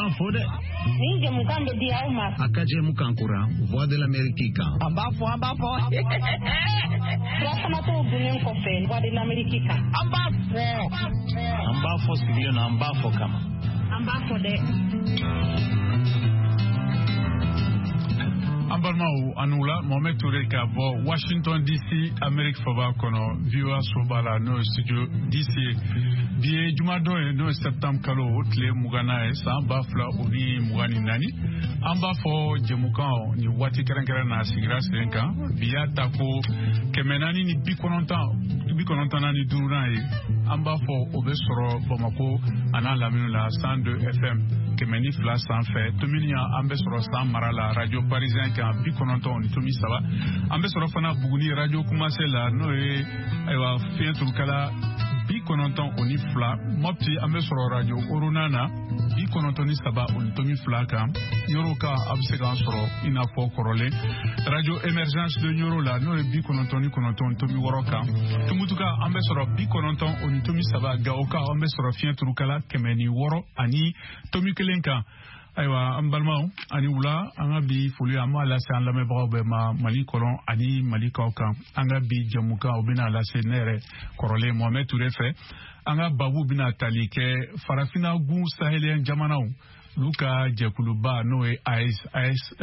b'an fo dɛ. Nin jɛmukan bɛ di aw ma. A ka jɛmukan kura Voix de l'Amérique kan. An b'a fɔ, an b'a fɔ. Furafanatɔw dunnen kɔfɛ Voix de l'Amérique kan. An b'a fɔ. An b'a fɔ sigilen na, an b'a fɔ kama. An b'a fɔ dɛ. An balimaw, a ni wula. Mohamed Toure ka bɔ Washington DC, Amérique faba kɔnɔ, VOA soba la, n'o ye studio DC ye. Bi ye jumadon ye, n'o ye septembre kalo o tile 20nan ye, san 2024. An b'a fɔ jɛmukan nin waati kɛrɛnkɛrɛn na sigira sen kan. Bi y'a ta ko 495nan ye. An b'a fɔ o bɛ sɔrɔ Bamako an'a lamini la, 102 FM, 102 sanfɛ. Tominian, an bɛ sɔrɔ San mara la, radio parisien kan, 90.3. An bɛ sɔrɔ fana Buguni, radio Kumase la, n'o ye ayiwa fiɲɛ turukala 92. Mɔpti, an bɛ sɔrɔ radio Orona na, 93.2 kan. Ɲoro kan, a bɛ se k'an sɔrɔ i n'a fɔ kɔrɔlen, radio Émergence de Ɲoro la, n'o ye 99.6 kan. Tumutuka, an bɛ sɔrɔ 90.3. Gawo kan, an bɛ sɔrɔ fiɲɛ turukala 106.1 kan. Ayiwa, an balimaw, ani wula. An ka bi foli, an b'a lase an lamɛnbagaw bɛɛ ma Mali kɔnɔ ani Mali kɔ kan. An ka bi jɛmukan, o bɛna lase ne yɛrɛ kɔrɔlen Mohamed Toure fɛ. An ka babu bɛna tali kɛ Farafinna gun sahélien jamanaw olu ka jɛkuluba, n'o ye AES, AES,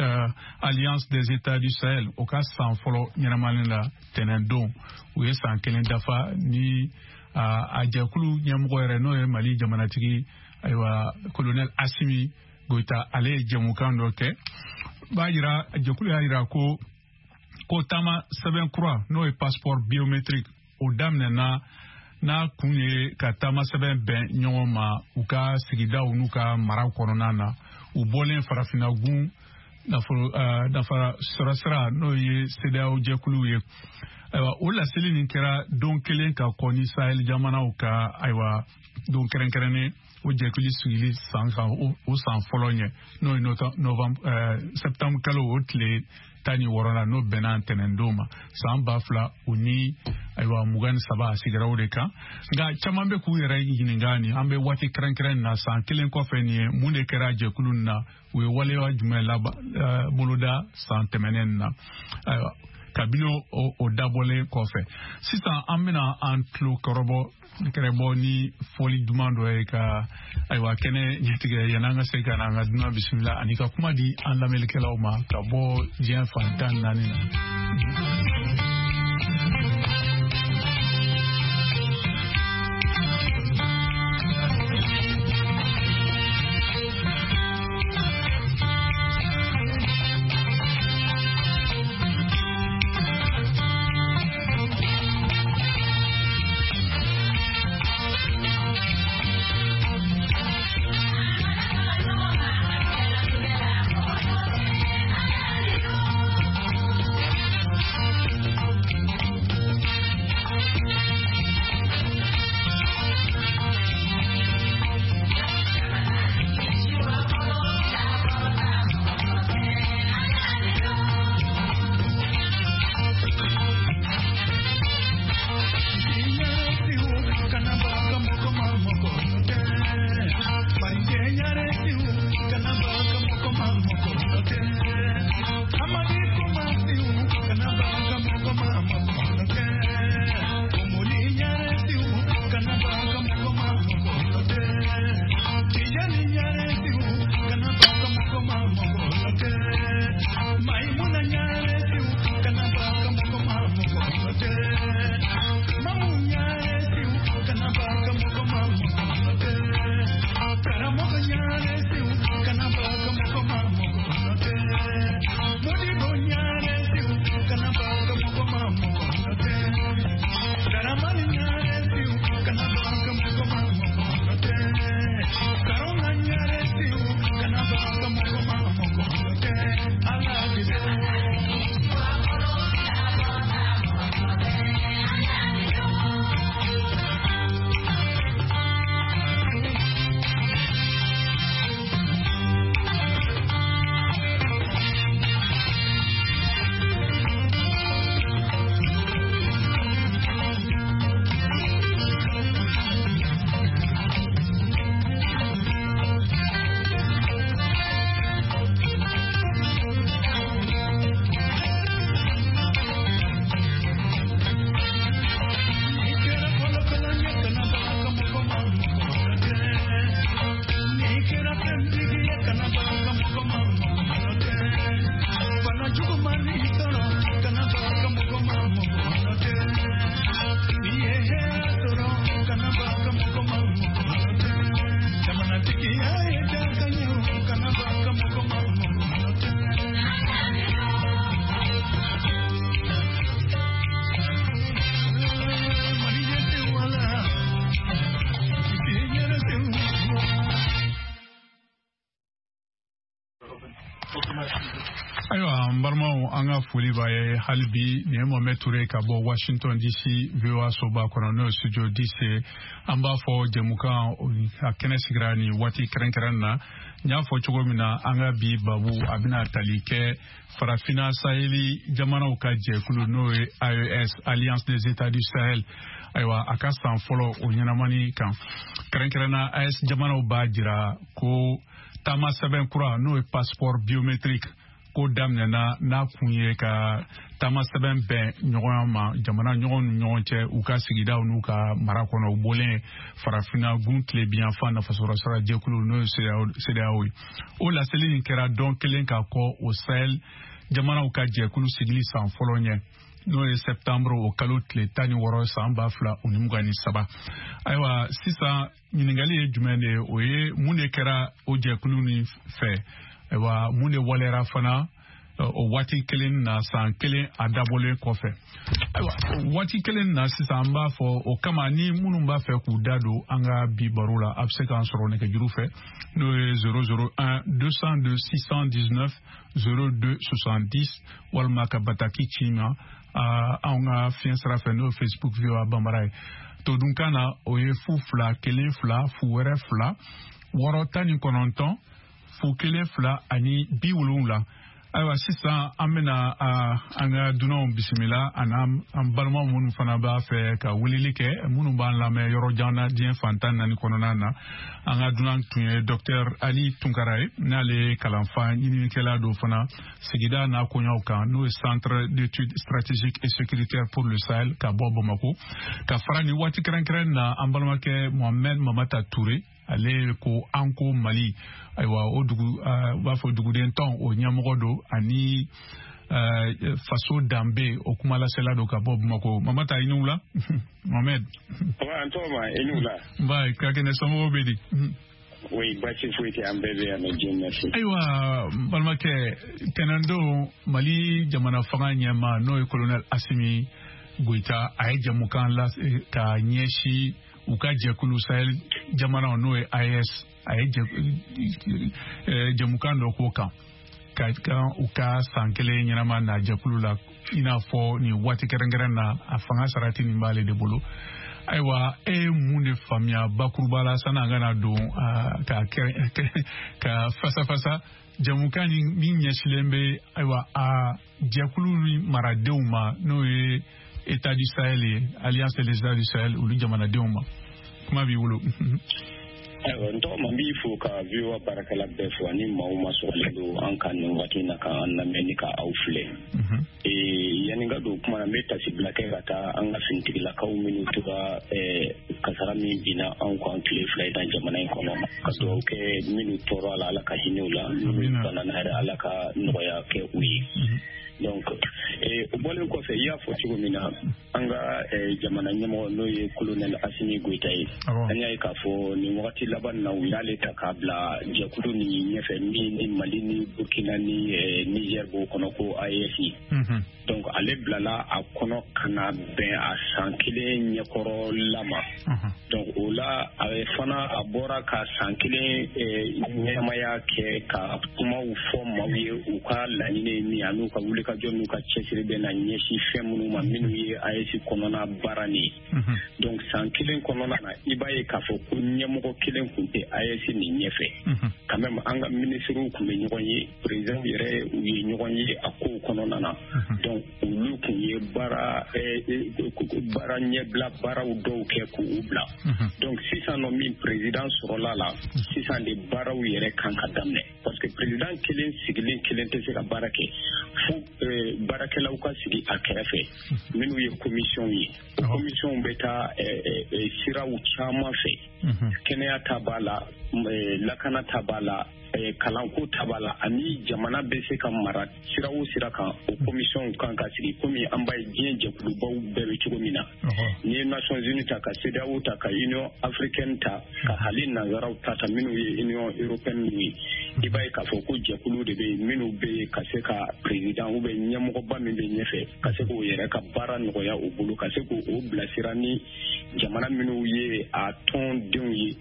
Alliance des États du Sahel, o ka san fɔlɔ ɲɛnamalen la tɛnɛndon. U ye san kelen dafa ni a jɛkulu ɲɛmɔgɔ yɛrɛ, n'o ye Mali jamanatigi, ayiwa, colonel Assimi Goïta, ale ye jɛmukan dɔ kɛ b'a yira jɛkulu y'a yira ko taama sɛbɛn kura, n'o ye passeport biométrique, o daminɛna n'a kun ye ka taama sɛbɛn bɛn ɲɔgɔn ma u ka sigidaw n'u ka maraw kɔnɔna na, u bɔlen Farafinagun nafolo nafa sɔrɔsira, n'o ye CEDEAO jɛkulu ye. Ayiwa, o laseli nin kɛra don kelen ka kɔn ni Sahel jamanaw ka, ayiwa, don kɛrɛnkɛrɛnnen o jɛkulu sigili san kan, o san fɔlɔ ɲɛ, n'o ye novembre, septembre kalo o tile 16 la, n'o bɛnna ntɛnɛndon ma, san ba fila o ni ayiwa 23. A sigira o de kan. Nka caman bɛ k'u yɛrɛ ɲininka, nin an bɛ waati kɛrɛnkɛrɛn na, san kelen kɔfɛ nin ye, mun de kɛra jɛkulu nin na? U ye waleya jumɛn laba boloda san tɛmɛnen na? Ayiwa, kabini o dabɔlen kɔfɛ, sisan an bɛna an tulo kɔrɔbɔ kɛrɛbɔ ni fɔli duman dɔ ye ka, ayiwa, kɛnɛ ɲɛtigɛ yan'an ka se ka na an ka dunan bisimila ani ka kuma di an lamɛnnikɛlaw ma ka bɔ diɲɛ fan 14 na. lamɛnbaaw, an ka foli b'a ye hali bi. Nin ye Mohamed Touré ka bɔ Washington DC, VOA soba kɔnɔ, n'o ye studio DC. An b'a fɔ jɛmukan a kɛnɛ sigira nin waati kɛrɛnkɛrɛn na. N y'a fɔ cogo min na, an ka bi babu a bɛna tali kɛ Farafina Saheli jamanaw ka jɛkulu, n'o ye AES, Alliance des États du Sahel, ayiwa, a ka san fɔlɔ o ɲɛnamani kan. Kɛrɛnkɛrɛnna, AES jamanaw b'a jira ko taama sɛbɛn kura, n'o ye passeport biométrique, ko daminɛna, n'a kun ye ka taama sɛbɛn bɛn ɲɔgɔnya ma jamana ɲɔgɔn ni ɲɔgɔn cɛ, u ka sigidaw n'u ka mara kɔnɔ. U bɔlen Farafinna gun tilebiyanfan nafasɔrɔ sira jɛkulu, n'o ye CEDEAO ye. O laseli nin kɛra dɔn kelen ka kɔ o Sahel jamanaw ka jɛkulu sigili san fɔlɔ ɲɛ, n'o ye septembre o kalo tile 16 san 2023. Ayiwa, sisan ɲininkali ye jumɛn de ye? O ye mun de kɛra o jɛkulu nin fɛ? Ayiwa, mun de waleyara fana o waati kelen na, san kelen a dabɔlen kɔfɛ? Ayiwa, waati kelen na sisan, an b'a fɔ o kama, ni minnu b'a fɛ k'u da don an ka bi baro la, a bɛ se k'an sɔrɔ nɛgɛjuru fɛ, n'o ye 001 202 619 02 70, walima ka bataki ci ma anw ka fiɲɛ sira fɛ, n'o ye Facebook VOA Bambara ye. Todunkan na, o ye 0 2 1 2 0 wɛrɛ 2 6 19 0 1 2 ani 70. Ayiwa, sisan an bɛna an ka dunanw bisimila, ani an balima minnu fana b'a fɛ ka weleli kɛ, minnu b'an lamɛn yɔrɔ jan na, diɲɛ fan 14 kɔnɔna na. An ka dunan tun ye Docteur Ali Tunkara ye, n'ale ye kalanfa ɲininikɛla don fana sigida n'a koɲaw kan, n'o ye Centre d'études stratégiques et sécuritaires pour le Sahel, ka bɔ Bamako. Ka fara nin waati kɛrɛnkɛrɛn na, an balimakɛ Mohamed Mamata Touré, ale ko an ko Mali, ayiwa, o dugu u b'a fɔ duguden tɔn o ɲɛmɔgɔ don, ani faso danbe o kumalasela don ka bɔ Bamakɔ. Mamata, i ni wula, Mohamed. An tɔgɔma, i ni wula. Nba, ka kɛnɛ, somɔgɔw bɛ di? Oui, baasi foyi tɛ, an bɛɛ bɛ yan nɔ, Dieu merci. Ayiwa, n balimakɛ, tɛnɛndon Mali jamana fanga ɲɛma, n'o ye colonel Asimi Goyita, a ye jamukan la ka ɲɛsin u ka jɛkulu Sahel jamanaw, n'o ye AES. A ye jamukan dɔ k'o kan ka kan u ka san kelen ɲɛnama na jɛkulu la, i n'a fɔ nin waati kɛrɛnkɛrɛn na, a fanga sarati nin b'ale de bolo. Ayiwa, e ye mun de faamuya bakuruba la, sanni an kana don ka fasa fasa jamukan ni min ɲɛsilen bɛ, ayiwa, a jɛkulu ni maradenw ma, n'o ye État du Sahel ye, Alliance des États du Sahel, olu jamanadenw ma? Kuma b'i bolo. Ayiwa, n tɔgɔma, n b'i fo ka VOA baarakɛla bɛɛ fo, ani maaw ma sɔgɔlen don an kan nin waati in na k'an lamɛn ni ka aw filɛ. Yanni ka don kuma na, n bɛ tasibila kɛ ka taa an ka finitigilakaw minnu tora kasara min binna anw kan tile 2 in na jamana in kɔnɔ, ka dugawu kɛ minnu tɔɔrɔ a la, Ala ka hinɛ u la, minnu banana yɛrɛ, Ala ka nɔgɔya kɛ u ye. Donc o bɔlen kɔfɛ, i y'a fɔ cogo min na, an ka jamana ɲɛmɔgɔ, n'o ye colonel Asimi Goyita ye, an y'a ye k'a fɔ nin wagati laban na, u y'ale ta k'a bila jɛkulu nin ɲɛfɛ min ni Mali ni Burkina ni Niger b'o kɔnɔ, ko AES. Donc ale bilala a kɔnɔ ka na bɛn a san kelen ɲɛkɔrɔla ma. Donc o la, a fana a bɔra ka san kelen ɲɛnamaya kɛ ka kumaw fɔ maaw ye, u ka laɲini ye min ye, ani u ka wulikajɔ n'u ka cɛsiri bɛ na ɲɛsin fɛn minnu ma, minnu ye AES kɔnɔna baara nin ye. Donc san kelen kɔnɔna na, i b'a ye k'a fɔ ko ɲɛmɔgɔ kelen tun tɛ AES nin ɲɛfɛ. Quand même, an ka minisiriw tun bɛ ɲɔgɔn ye, président yɛrɛ, u ye ɲɔgɔn ye a kow kɔnɔna na. Donc olu tun ye baara ɲɛbila baaraw dɔw kɛ k'u bila. Donc sisan nɔ min président sɔrɔla la, sisan de baaraw yɛrɛ kan ka daminɛ, parce que président kelen sigilen kelen tɛ se ka baara kɛ fo baarakɛlaw ka sigi a kɛrɛfɛ, minnu ye commission ye. O commission bɛ taa siraw caman fɛ: kɛnɛya ta b'a la, lakana ta b'a la, kalanko ta b'a la, ani jamana bɛ se ka mara sira o sira kan, o commission kan ka sigi, komi an b'a ye diɲɛ jɛkulubaw bɛɛ bɛ cogo min na. N'i ye Nations Unies ta, ka CEDEAO ta, ka Union africaine ta, ka hali nanzaraw ta ta minnu ye Union européenne ninnu ye, i b'a ye k'a fɔ ko jɛkulu de bɛ yen minnu bɛ yen ka se ka président ou bien ɲɛmɔgɔba min bɛ ɲɛfɛ, ka se k'o yɛrɛ ka baara nɔgɔya u bolo, ka se k'o bilasira ni jamana minnu ye a tɔndenw ye,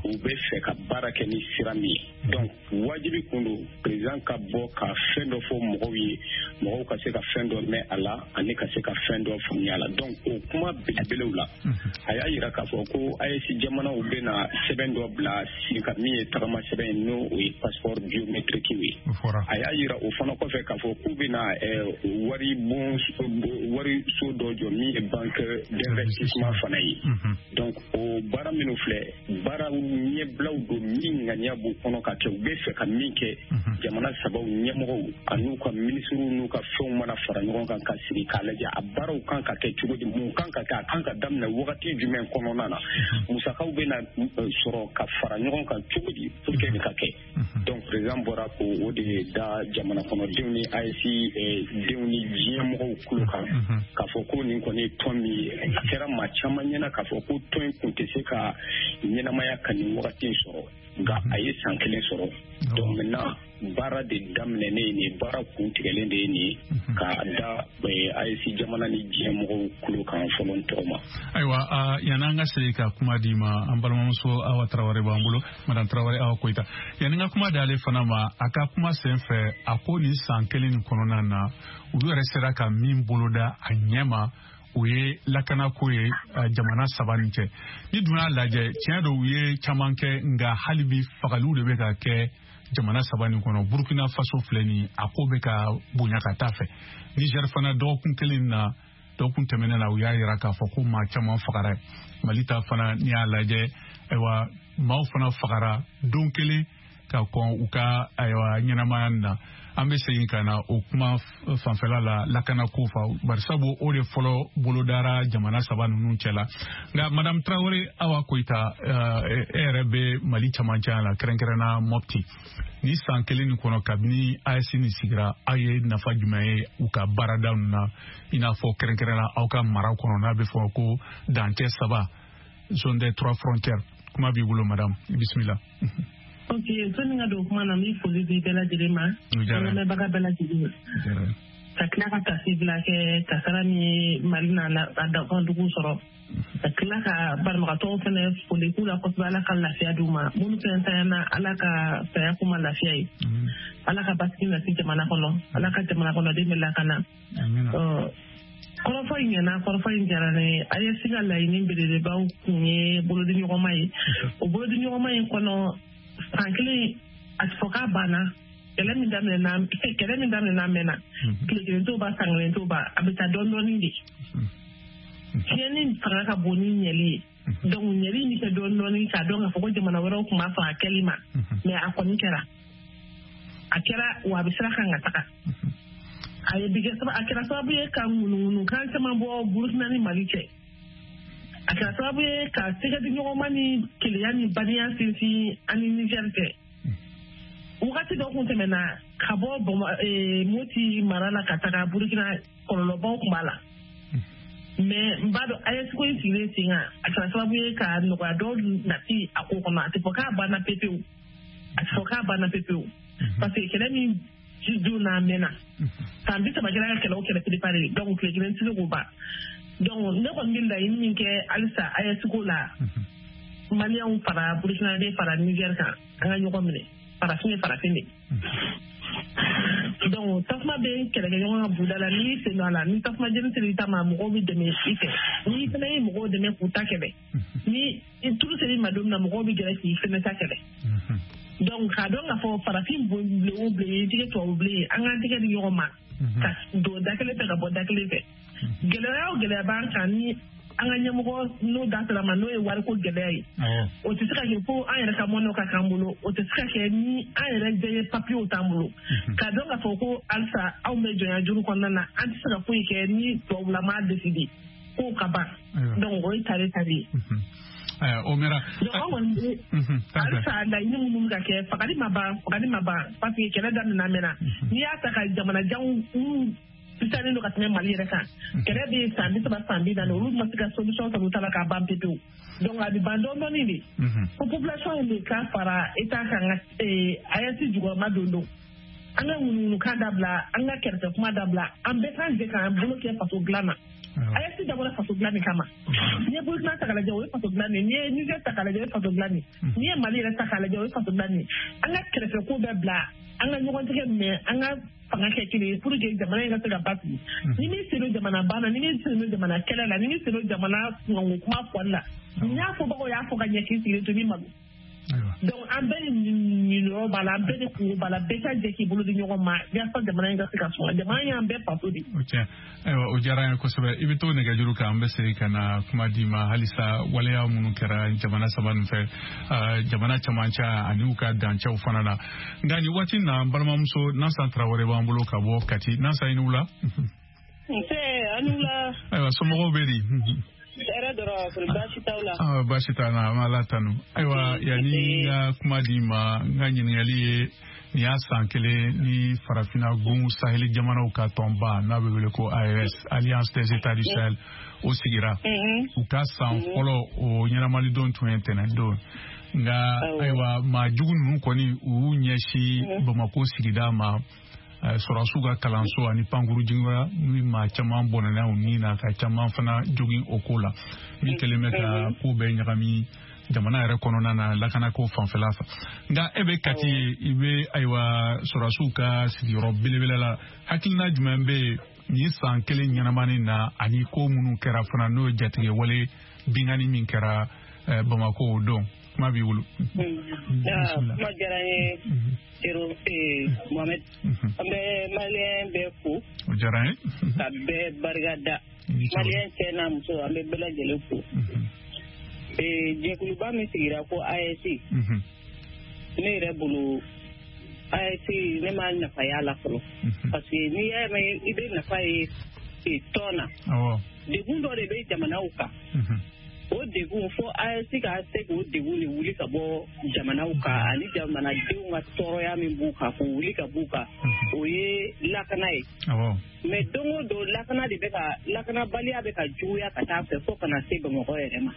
u bɛ fɛ ka baara kɛ ni sira min ye. Donc Wajibi kun don président ka bɔ ka fɛn dɔ fɔ mɔgɔw ye, mɔgɔw ka se ka fɛn dɔ mɛn a la ani ka se ka fɛn dɔ faamuya a la. Donc o kuma belebelew la, a y'a yira k'a fɔ ko AES jamanaw bɛna sɛbɛn dɔ bila sen kan min ye tagama sɛbɛn ye, n'o o ye passeport biométrique ye. A y'a yira o fana kɔfɛ k'a fɔ k'u bɛna wari bon wari so dɔ jɔ min ye banque d'investissement fana ye. Donc o baara minnu filɛ, baara ɲɛbilaw don min ŋaniya b'u kɔnɔ ka kɛ, u bɛ fɛ ka min kɛ. Jamana sabaw ɲɛmɔgɔw an'u ka minisiriw n'u ka fɛnw mana fara ɲɔgɔn kan ka sigi k'a lajɛ a baaraw kan ka kɛ cogo di, mun kan ka kɛ, a kan ka daminɛ wagati jumɛn kɔnɔna na, musakaw bɛna sɔrɔ ka fara ɲɔgɔn kan cogo di pour que nin ka kɛ. Donc président bɔra k'o de da jamana kɔnɔdenw ni AES denw ni diɲɛ mɔgɔw tulo kan k'a fɔ ko nin kɔni ye tɔn min ye. A kɛra maa caman ɲɛna k'a fɔ ko tɔn in kun tɛ se ka ɲɛnamaya ka nin wagati in sɔrɔ, nka a ye san kelen sɔrɔ. Donc maintenant baara de daminɛnen ye nin, baara kun tigɛlen de ye nin ka da AES jamana ni diɲɛ mɔgɔw tulo kan fɔlɔ n tɔgɔ ma. Ayiwa, yanni an ka segin ka kuma d'i ma, an balimamuso Awa Tarawele b'an bolo, madame Tarawele Awa Koyita. Yanni n ka kuma d'ale fana ma, a ka kuma sen fɛ, a ko nin san kelen nin kɔnɔna na, olu yɛrɛ sera ka min boloda a ɲɛ ma, o ye lakanako ye jamana saba nin cɛ. Ni dun y'a lajɛ, tiɲɛ don u ye caman kɛ, nka hali bi fagaliw de bɛ ka kɛ jamana saba nin kɔnɔ. Burkina Faso filɛ nin, a ko bɛ ka bonya ka taa fɛ. Niger fana, dɔgɔkun kelen na, dɔgɔkun tɛmɛnen na, u y'a yira k'a fɔ ko maa caman fagara. Mali ta fana, n'i y'a lajɛ, ayiwa, maaw fana fagara don kelen ka kɔn u ka ayiwa ɲɛnamaya na. An bɛ segin ka na o kuma fanfɛla la, lakanako fa, barisabu o de fɔlɔ bolodara jamana saba ninnu cɛ la. Nka madame Tarawele Awa Koyita, e yɛrɛ bɛ Mali camancɛ la, kɛrɛnkɛrɛnna Mopti. Ni san kelen nin kɔnɔ kabini AES nin sigira, aw ye nafa jumɛn ye u ka baarada ninnu na, i n'a fɔ kɛrɛnkɛrɛnna aw ka mara kɔnɔ n'a bɛ fɔ ko dancɛ saba, zone des trois frontières? Kuma b'i bolo madame, bisimila. Ok, sani ka don kuma na, n bɛ foli di bɛɛ lajɛlen ma, an lamɛnbaga bɛɛ lajɛlen, ka tila ka tasibila kɛ kasara min ye Mali n'a dankan dugu sɔrɔ, ka tila ka banabagatɔw fɛnɛ foli k'u la kosɛbɛ, Ala ka lafiya d'u ma. Minnu fɛnɛ tanyana, Ala ka saya k'u ma lafiya ye, Ala ka basigi nati jamana kɔnɔ, Ala ka jamana kɔnɔden bɛ lakana. Kɔrɔfɔ in ɲɛna, kɔrɔfɔ in diyara ne ye. AES ka laɲini belebelebaw kun ye bolodiɲɔgɔnma ye. O bolodiɲɔgɔnma in kɔnɔ, san kelen, a ti fɔ k'a banna. Kɛlɛ min daminɛna, kɛlɛ min daminɛna mɛnna, tile kelen t'o ban, san kelen t'o ban, a bɛ taa dɔɔni dɔɔni de. Tiɲɛni fanga ka bon ni ɲɛli ye. Donc ɲɛli in bɛ kɛ dɔɔni dɔɔni, k'a dɔn k'a fɔ ko jamana wɛrɛw tun b'a sɔn a kɛli ma, mais a kɔni kɛra, a kɛra wa a bɛ sira kan ka taga. A ye bi kɛ, a kɛra sababu ye ka ŋunuŋunu kan caman bɔ Burukina ni Mali cɛ. A kɛra sababu ye ka tɛgɛdiɲɔgɔnma ni kelenya ni badenya sinsin ani Niger cɛ. Wagati dɔ kun tɛmɛna ka bɔ Moti mara la ka taga Burukina, kɔlɔlɔbaw tun b'a la, mais n b'a dɔn AES ko in sigilen sen kan, a kɛra sababu ye ka nɔgɔya dɔw nati a ko kɔnɔ. A tɛ fɔ k'a banna pepewu, a tɛ fɔ k'a banna pepewu, parce que kɛlɛ min don n'a mɛnna, san 30 kɛra ka kɛlɛ o kɛlɛ préparé, donc tile kelen tɛ se k'o ban. Donc ne kɔni bɛ laɲini min kɛ halisa AES ko la, Maliyɛnw fara Burukinabe fara Niger kan, an ka ɲɔgɔn minɛ. Farafin ye farafin de. Donc tasuma bɛ kɛlɛkɛɲɔgɔn ka buda la, n'i y'i sen don a la, ni tasuma jeni sera i ta ma, mɔgɔw bɛ dɛmɛ i fɛ. N'i fana ye mɔgɔw dɛmɛ k'u ta kɛlɛ, ni tulu sera i ma don min na, mɔgɔw bɛ gɛrɛ k'i fɛnɛ ta kɛlɛ. Donc k'a dɔn k'a fɔ farafin bilen o bilen ye tigɛ tubabu bilen ye, an k'an tɛgɛ di ɲɔgɔn ma ka don da kelen fɛ ka bɔ da kelen fɛ. Gɛlɛya o gɛlɛya b'an kan, ni an ka ɲɛmɔgɔ n'o da sera ma, n'o ye wariko gɛlɛya ye, o tɛ se ka kɛ fo an yɛrɛ ka mɔnɛw ka k'an bolo. O tɛ se ka kɛ ni an yɛrɛ bɛɛ ye papiyew t'an bolo, k'a dɔn k'a fɔ ko halisa anw bɛ jɔnya juru kɔnɔna na, an tɛ se ka foyi kɛ ni tubabula m'a décider k'o ka ban. Donc o ye tare tare ye. O mɛra. Donc an kɔni bɛ halisa laɲini minnu bɛ ka kɛ, fagali ma ban, fagali ma ban, parce que kɛlɛ daminɛ mɛnna. N'i y'a ta ka jamanajanw minnu sisannen don ka tɛmɛ Mali yɛrɛ kan, kɛlɛ bɛ san 30, san 40, olu ma se ka solution sɔrɔ u ta la k'a ban pepewu. Donc a bɛ ban dɔɔni dɔɔni de, fo population in de ka fara État kan ka AES jukɔrɔma don. An ka ŋunuŋunukan dabila, an ka kɛrɛfɛ kuma dabila, an bɛɛ k'an jɛ k'an bolo kɛ faso dilan na. AES dabɔra faso dilan de kama. N'i ye Burukina ta k'a lajɛ, o ye faso dilan de ye. N'i ye Niger ta k'a lajɛ, o ye faso dilan de ye. N'i ye Mali yɛrɛ ta k'a lajɛ, o ye faso dilan de ye. An ka kɛrɛfɛ ko bɛɛ bila, an ka ɲɔgɔn tigɛ minɛ, an ka fanga kɛ kelen ye pour que jamana in ka se ka basigi. Ni min sen don jamana ban na, ni min sen don jamana kɛlɛ la, ni min sen don jamana kunkanko kuma fɔli la, n y'a fɔbagaw y'a fɔ ka ɲɛ k'i sigilen to ni malo. Donc an bɛɛ ni ɲiniyɔrɔ b'a la, an bɛɛ ni kungo b'a la, bɛɛ ka jɛ k'i bolo di ɲɔgɔn ma yaasa jamana in ka se ka suma. Jamana in y'an bɛɛ faso de. O tiɲɛ. Ayiwa, o diyara an ye kosɛbɛ. I bɛ to nɛgɛjuru kan, an bɛ segin ka na kuma d'i ma halisa waleya minnu kɛra jamana saba nin fɛ, jamana camancɛ ani u ka dancɛw fana na. Nka nin waati in na, n balimamuso Nansan Tarawele b'an bolo ka bɔ Kati. Nansan, i ni wula. Nse, a ni wula. Ayiwa, somɔgɔw bɛ di? Hɛrɛ dɔrɔn, baasi t'aw la. Baasi t'an na, an b'Ala tanu. Ayiwa, yanni n ka kuma d'i ma, n ka ɲininkali ye nin y'a san kelen ni farafinna gun saheli jamanaw ka tɔnba n'a bɛ wele ko AES, Alliance des États du Sahel, o sigira. U ka san fɔlɔ o ɲɛnamalidon tun ye tɛnɛn don. Nka ayiwa, maa jugu ninnu kɔni u y'u ɲɛsin Bamako sigida ma, sɔrɔdasiw ka kalanso ani pankuru jiginyɔrɔ, n'u maa caman bɔnɛna u ni na, ka caman fana jogin o ko la, min kɛlen bɛ ka ko bɛɛ ɲagami jamana yɛrɛ kɔnɔna na lakanako fanfɛla fɛ. Nka e bɛ Kati ye, i bɛ ayiwa sɔrɔdasiw ka sigiyɔrɔ belebele la, hakilina jumɛn bɛ yen nin san kelen ɲɛnamani na ani ko minnu kɛra fana, n'o ye jatigɛ wale binkanni min kɛra Bamako o don? Kuma b'i bolo. Kuma diyara n ye, Mohamed. An bɛ maliyɛn bɛɛ fo. O diyara n ye. Ka bɛɛ barika da. Maliyɛn cɛ n'a muso, an bɛ bɛɛ lajɛlen fo. Jɛkuluba min sigira ko AES, ne yɛrɛ bolo AES ne ma nafa y'a la fɔlɔ. Parce que n'i y'a mɛn i bɛ nafa ye tɔn na. Degun dɔ de bɛ jamanaw kan. O degun fo AES ka se k'o degun de wuli ka bɔ jamanaw kan, ani jamanadenw ka tɔɔrɔya min b'u kan k'o wuli ka b'u kan, o ye lakana ye. Mais don o don lakana de bɛ ka, lakanabaliya bɛ ka juguya ka taa fɛ fo ka na se Bamakɔ yɛrɛ ma.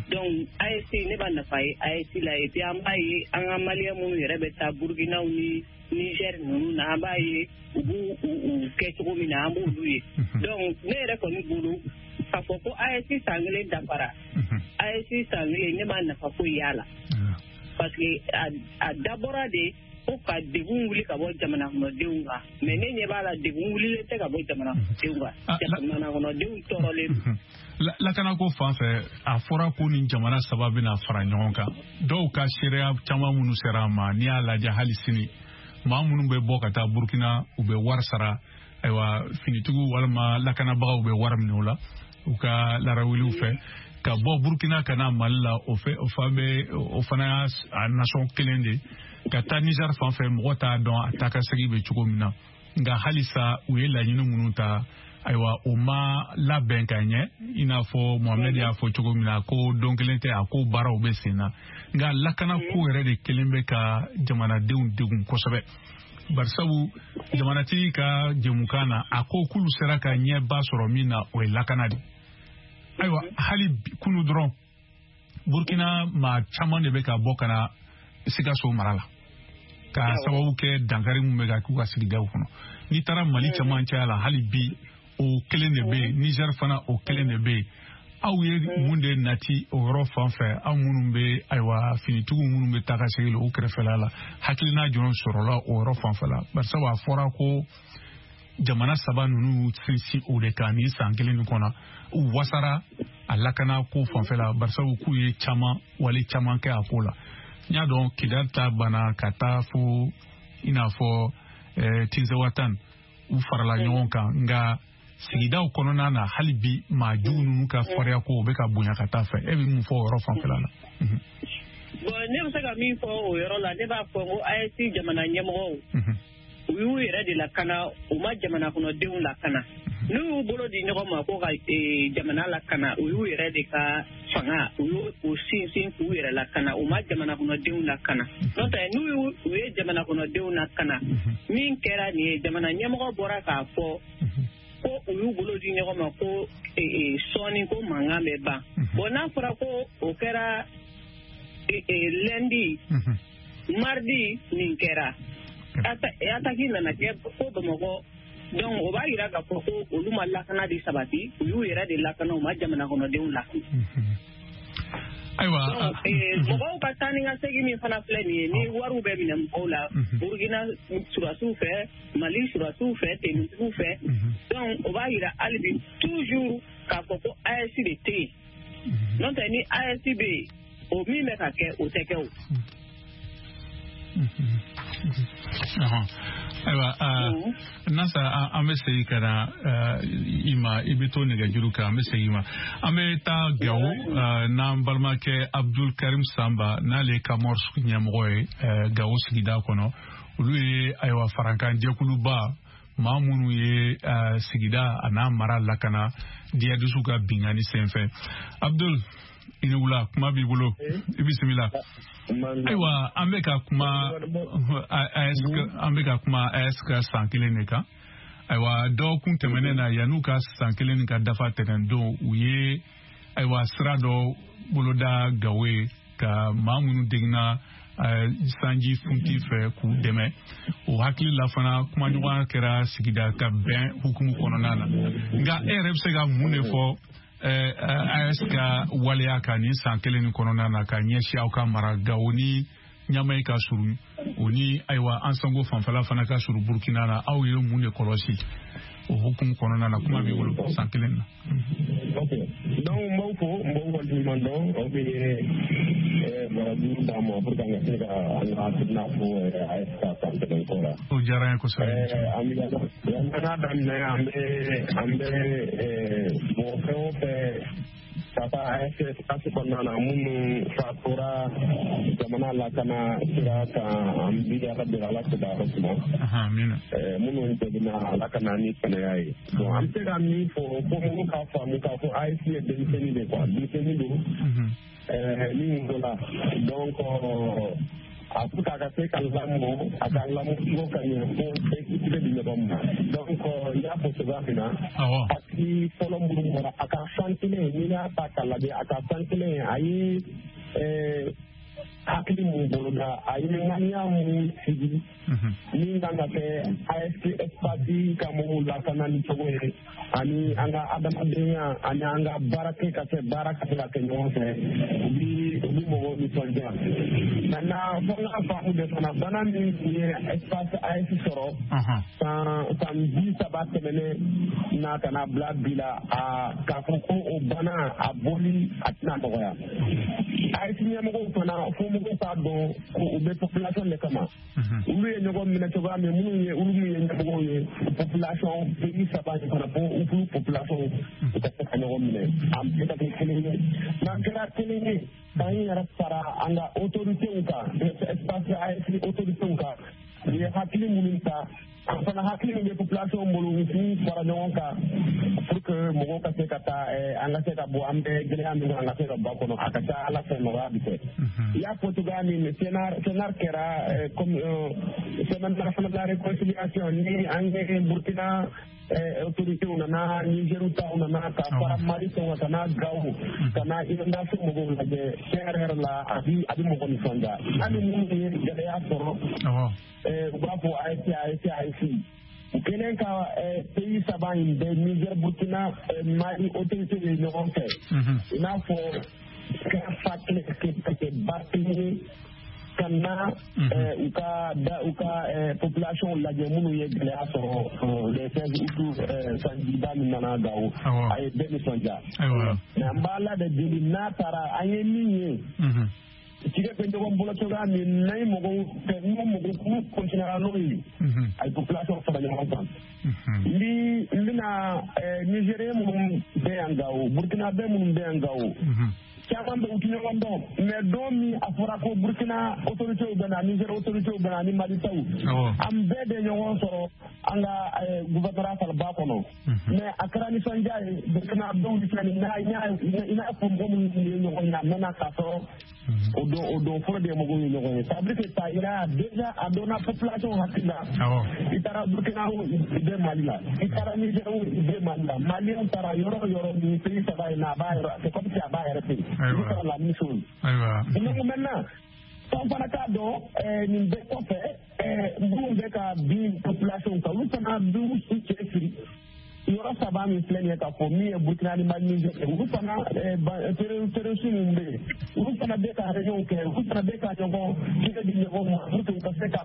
Donc AES ne b'a nafa ye AES la. Et puis an b'a ye an ka maliyɛn minnu yɛrɛ bɛ taa Burukinaw ni Niger ninnu na, an b'a ye u b'u u kɛ cogo min na, an b'olu ye. Donc ne yɛrɛ kɔni bolo, k'a fɔ ko AES san kelen dafara, AES san kelen ne ma nafa foyi y'a la. Parce que a dabɔra de ko ka degun wuli ka bɔ jamana kɔnɔdenw kan, mais ne ɲɛ b'a la degun wulilen tɛ ka bɔ jamana kɔnɔdenw kan, jamana kɔnɔdenw tɔɔrɔlen don. Lakanako fan fɛ, a fɔra ko nin jamana saba bɛna fara ɲɔgɔn kan. Dɔw ka seereya caman minnu sera a ma, n'i y'a lajɛ hali sini, maa minnu bɛ bɔ ka taa Burukina, u bɛ wari sara. Ayiwa, finitigiw walima lakanabagaw bɛ wari minɛ o la u ka larawuliw fɛ ka bɔ Burukina ka na Mali la, o fɛ o fan bɛ, o fana y'a nasɔn kelen de ka taa Niger fan fɛ, mɔgɔ t'a dɔn a taa ka segin bɛ cogo min na. Nka halisa u ye laɲini minnu ta, ayiwa, o ma labɛn ka ɲɛ, i n'a fɔ Mohamed y'a fɔ cogo min na ko don kelen tɛ, a ko baaraw bɛ sen na. Nka lakanako yɛrɛ de kelen bɛ ka jamanadenw degun kosɛbɛ, barisabu jamanatigi ka jɛmukan na, a ko k'olu sera ka ɲɛba sɔrɔ min na, o ye lakana de. Ayiwa, hali kunu dɔrɔn, Burukina maa caman de bɛ ka bɔ ka na Sikaso mara la ka sababu kɛ dankari min bɛ ka k'u ka sigidaw kɔnɔ. N'i taara Mali camancɛya la, hali bi o kelen de bɛ yen. Niger fana, o kelen de bɛ yen. Aw ye mun de nati o yɔrɔ fan fɛ, aw minnu bɛ ayiwa finitigiw minnu bɛ taa ka segin o kɛrɛfɛla la, hakilina jumɛn sɔrɔla o yɔrɔ fanfɛ la? Barisabu a fɔra ko jamana saba ninnu sinsin o de kan nin san kelen nin kɔnɔ, u wasara a lakana ko fanfɛ la, barisabu k'u ye caman wale caman kɛ a ko la. N y'a dɔn Kidali ta banna ka taa fo i n'a fɔ Tinzawatan, u farala ɲɔgɔn kan, nka sigidaw kɔnɔna na hali bi maa jugu ninnu ka fariya ko o bɛ ka bonya ka taa fɛ. E bɛ mun fɔ o yɔrɔ fanfɛla la? Bon, ne bɛ se ka min fɔ o yɔrɔ la, ne b'a fɔ ko AES jamana ɲɛmɔgɔw, u y'u yɛrɛ de lakana, u ma jamana kɔnɔdenw lakana. N'u y'u bolo di ɲɔgɔn ma ko ka jamana lakana, u y'u yɛrɛ de ka fanga, u y'u sinsin k'u yɛrɛ lakana, u ma jamana kɔnɔdenw lakana. N'o tɛ, n'u y'u u ye jamana kɔnɔdenw lakana, min kɛra nin ye, jamana ɲɛmɔgɔ bɔra k'a fɔ ko u y'u bolo di ɲɔgɔn ma ko sɔɔni ko mankan bɛ ban. Bon, n'a fɔra ko o kɛra lundi, mardi nin kɛra. Attaque nana kɛ fo Bamakɔ. Donc o b'a yira k'a fɔ ko olu ma lakana de sabati, u y'u yɛrɛ de lakana, u ma jamana kɔnɔdenw lakana. Ayiwa, mɔgɔw ka taa ni ka segin min fana filɛ nin ye, ni wariw bɛ minɛ mɔgɔw la Burukina surasiw fɛ, Mali surasiw fɛ, tenitigiw fɛ. Donc o b'a yira hali bi toujours k'a fɔ ko AES de tɛ yen. N'o tɛ ni AES bɛ yen, o min bɛ ka kɛ o tɛ kɛ o. Ayiwa, Nasa, an bɛ segin ka na i ma, i bɛ to nɛgɛjuru kan, an bɛ segin i ma. An bɛ taa Gawo n'an balimakɛ Abdul Karim Samba, n'ale ye Kamɔri ɲɛmɔgɔ ye Gawo sigida kɔnɔ. Olu ye ayiwa farankan jɛkuluba maa minnu ye sigida a n'a mara lakana djihadisiw ka binkanni senfɛ. Abdul, i ni wula, kuma b'i bolo, i bisimila. Ayiwa, an bɛ ka kuma AES, an bɛ ka kuma AES ka san kelen de kan. Ayiwa, dɔgɔkun tɛmɛnen na, yan'u ka san kelen ka dafa tɛnɛndon, u ye ayiwa sira dɔ boloda Gawo ye ka maa minnu degunna sanji funti fɛ k'u dɛmɛ. O hakili la fana, kumaɲɔgɔnya kɛra sigida ka bɛn hukumu kɔnɔna na. Nka e yɛrɛ bɛ se ka mun de fɔ AES ka waleya kan nin san kelen nin kɔnɔna na ka ɲɛsin aw ka mara Gawo ni Ɲamayi ka surun, o ni ayiwa Ansango fanfɛla fana ka surun Burukina na, aw ye mun de kɔlɔsi o hukumu kɔnɔna na? Kuma b'i bolo san kelen na. Ok, donc n b'aw fo, n b'aw waleɲuman dɔn, aw bɛ barajuru d'an ma pour que an ka se ka an ka hakilina fɔ AES ka san kelen ko la. O diyara n ye kosɛbɛ. An bɛ an k'a daminɛ, an bɛ mɔgɔ fɛn o fɛn ka taa AES espace kɔnɔna na minnu fatura jamana lakana sira kan, an bi Ala deli Ala k'u da yɔrɔ suma. Minnu degunna, Ala ka na ni kɛnɛya ye. Bon, an bɛ se ka min fɔ fo mɔgɔw k'a faamu k'a fɔ AES ye denmisɛnnin de quoi, denmisɛnnin don min wolola. Donc a pour que a ka se ka lamɔ, a ka lamɔ cogo ka ɲɛ fo bɛɛ k'i tigɛ di ɲɔgɔn ma. Donc i y'a fɔ cogoya min na, parti fɔlɔ minnu bɔra a ka san kelen, n'i y'a ta k'a lajɛ, a ka san kelen a ye hakili mun boloda, a ye ŋaniya mun sigi min kan ka kɛ AES espace ka mɔgɔw lakana ni cogo ye, ani an ka adamadenya ani an ka baara kɛ ka se baara ka se ka kɛ ɲɔgɔn fɛ, u bi mɔgɔw nisɔndiya. Maintenant fo n ka faamu de fana, bana min tun ye espace AES sɔrɔ san 30 tɛmɛnen na ka na bila bi la, a k'a fɔ ko o bana a bɔli a tɛna nɔgɔya. AES ɲɛmɔgɔw fana fo mɔgɔw k'a dɔn ko u bɛ population de kama. Olu ye ɲɔgɔn minɛ cogoya min, minnu ye olu min ye ɲɛmɔgɔw ye population pays saba in fana, fo olu population u ka se ka ɲɔgɔn minɛ, an bɛɛ ka kɛ kelen ye. N'an kɛra kelen ye, k'an yɛrɛ fara an ka autorités kan, espace AES autorités kan, u ye hakili minnu ta, an fana hakili min bɛ population bolo, u k'u fara ɲɔgɔn kan pour que mɔgɔw ka se ka taa, an ka se ka bɔ an bɛ gɛlɛya min kɔnɔ, an ka se ka bɔ a kɔnɔ. A ka ca Ala fɛ nɔgɔya bɛ kɛ. I y'a fɔ cogoya min, CNR kɛra comme semaine nationale de la réconciliation, ni an ye Burkina autorités nana, Niger taw nana, ka fara Mali taw kan, ka na Gawo, ka na inondation mɔgɔw lajɛ. Tiɲɛ yɛrɛ yɛrɛ la, a bi mɔgɔ nisɔndiya. Hali minnu ye gɛlɛya sɔrɔ, u b'a fɔ AES AES AES. U kɛlen ka pays saba in bɛɛ, Niger, Burkina, Mali autorités ye ɲɔgɔn fɛ, i n'a fɔ ka fa kelen ka kɛ ba kelen ye, ka na u ka da u ka population lajɛ minnu ye gɛlɛya sɔrɔ le 16 août, sanjiba min nana Gawo, a ye bɛɛ nisɔndiya. Mais an b'a la de deli, n'a taara an ye min ye, tigɛ bɛ ɲɔgɔn bolo cogoya min n'a ye mɔgɔw fɛ, n'u mɔgɔw k'u continuera n'o ye, a ye population fara ɲɔgɔn kan. Ni n bɛna Nigérien minnu bɛ yan Gawo, Burkinabè minnu bɛ yan Gawo, caman bɛ u tɛ ɲɔgɔn dɔn, mais don min a fɔra ko Burkina autorités bɛ na, Niger autorités bɛ na ani Mali taw, an bɛɛ de ɲɔgɔn sɔrɔ an ka gouvernorat salaba kɔnɔ. Mais a kɛra nisɔndiya ye, Burkina dɔw ni fɛn i n'a fɔ mɔgɔ minnu ye ɲɔgɔn ye, a mɛnna k'a sɔrɔ o don fɔlɔ de ye mɔgɔw ye ɲɔgɔn ye. Ça veut dire que ça ira déjà a donna population hakili la. I taara Burkina o, i bɛ Mali la, i taara Niger o, i bɛ Mali la, Maliyɛnw taara yɔrɔ o yɔrɔ nin pays saba in na, a b'a yɔrɔ, c'est comme si a b'a yɛrɛ fɛ yen. I bɛ la même chose. Donc maintenant, F'an fana k'a dɔn nin bɛɛ kɔfɛ minnu bɛ ka bin population kan, olu fana b'u cɛsiri. Yɔrɔ saba min filɛ nin ye k'a fɔ min ye Burkina ni Mali Niger, olu fana terroriste minnu bɛ yen, olu fana bɛ ka réunion kɛ, olu fana bɛ ka ɲɔgɔn tigɛ di ɲɔgɔn ma pour que u ka se ka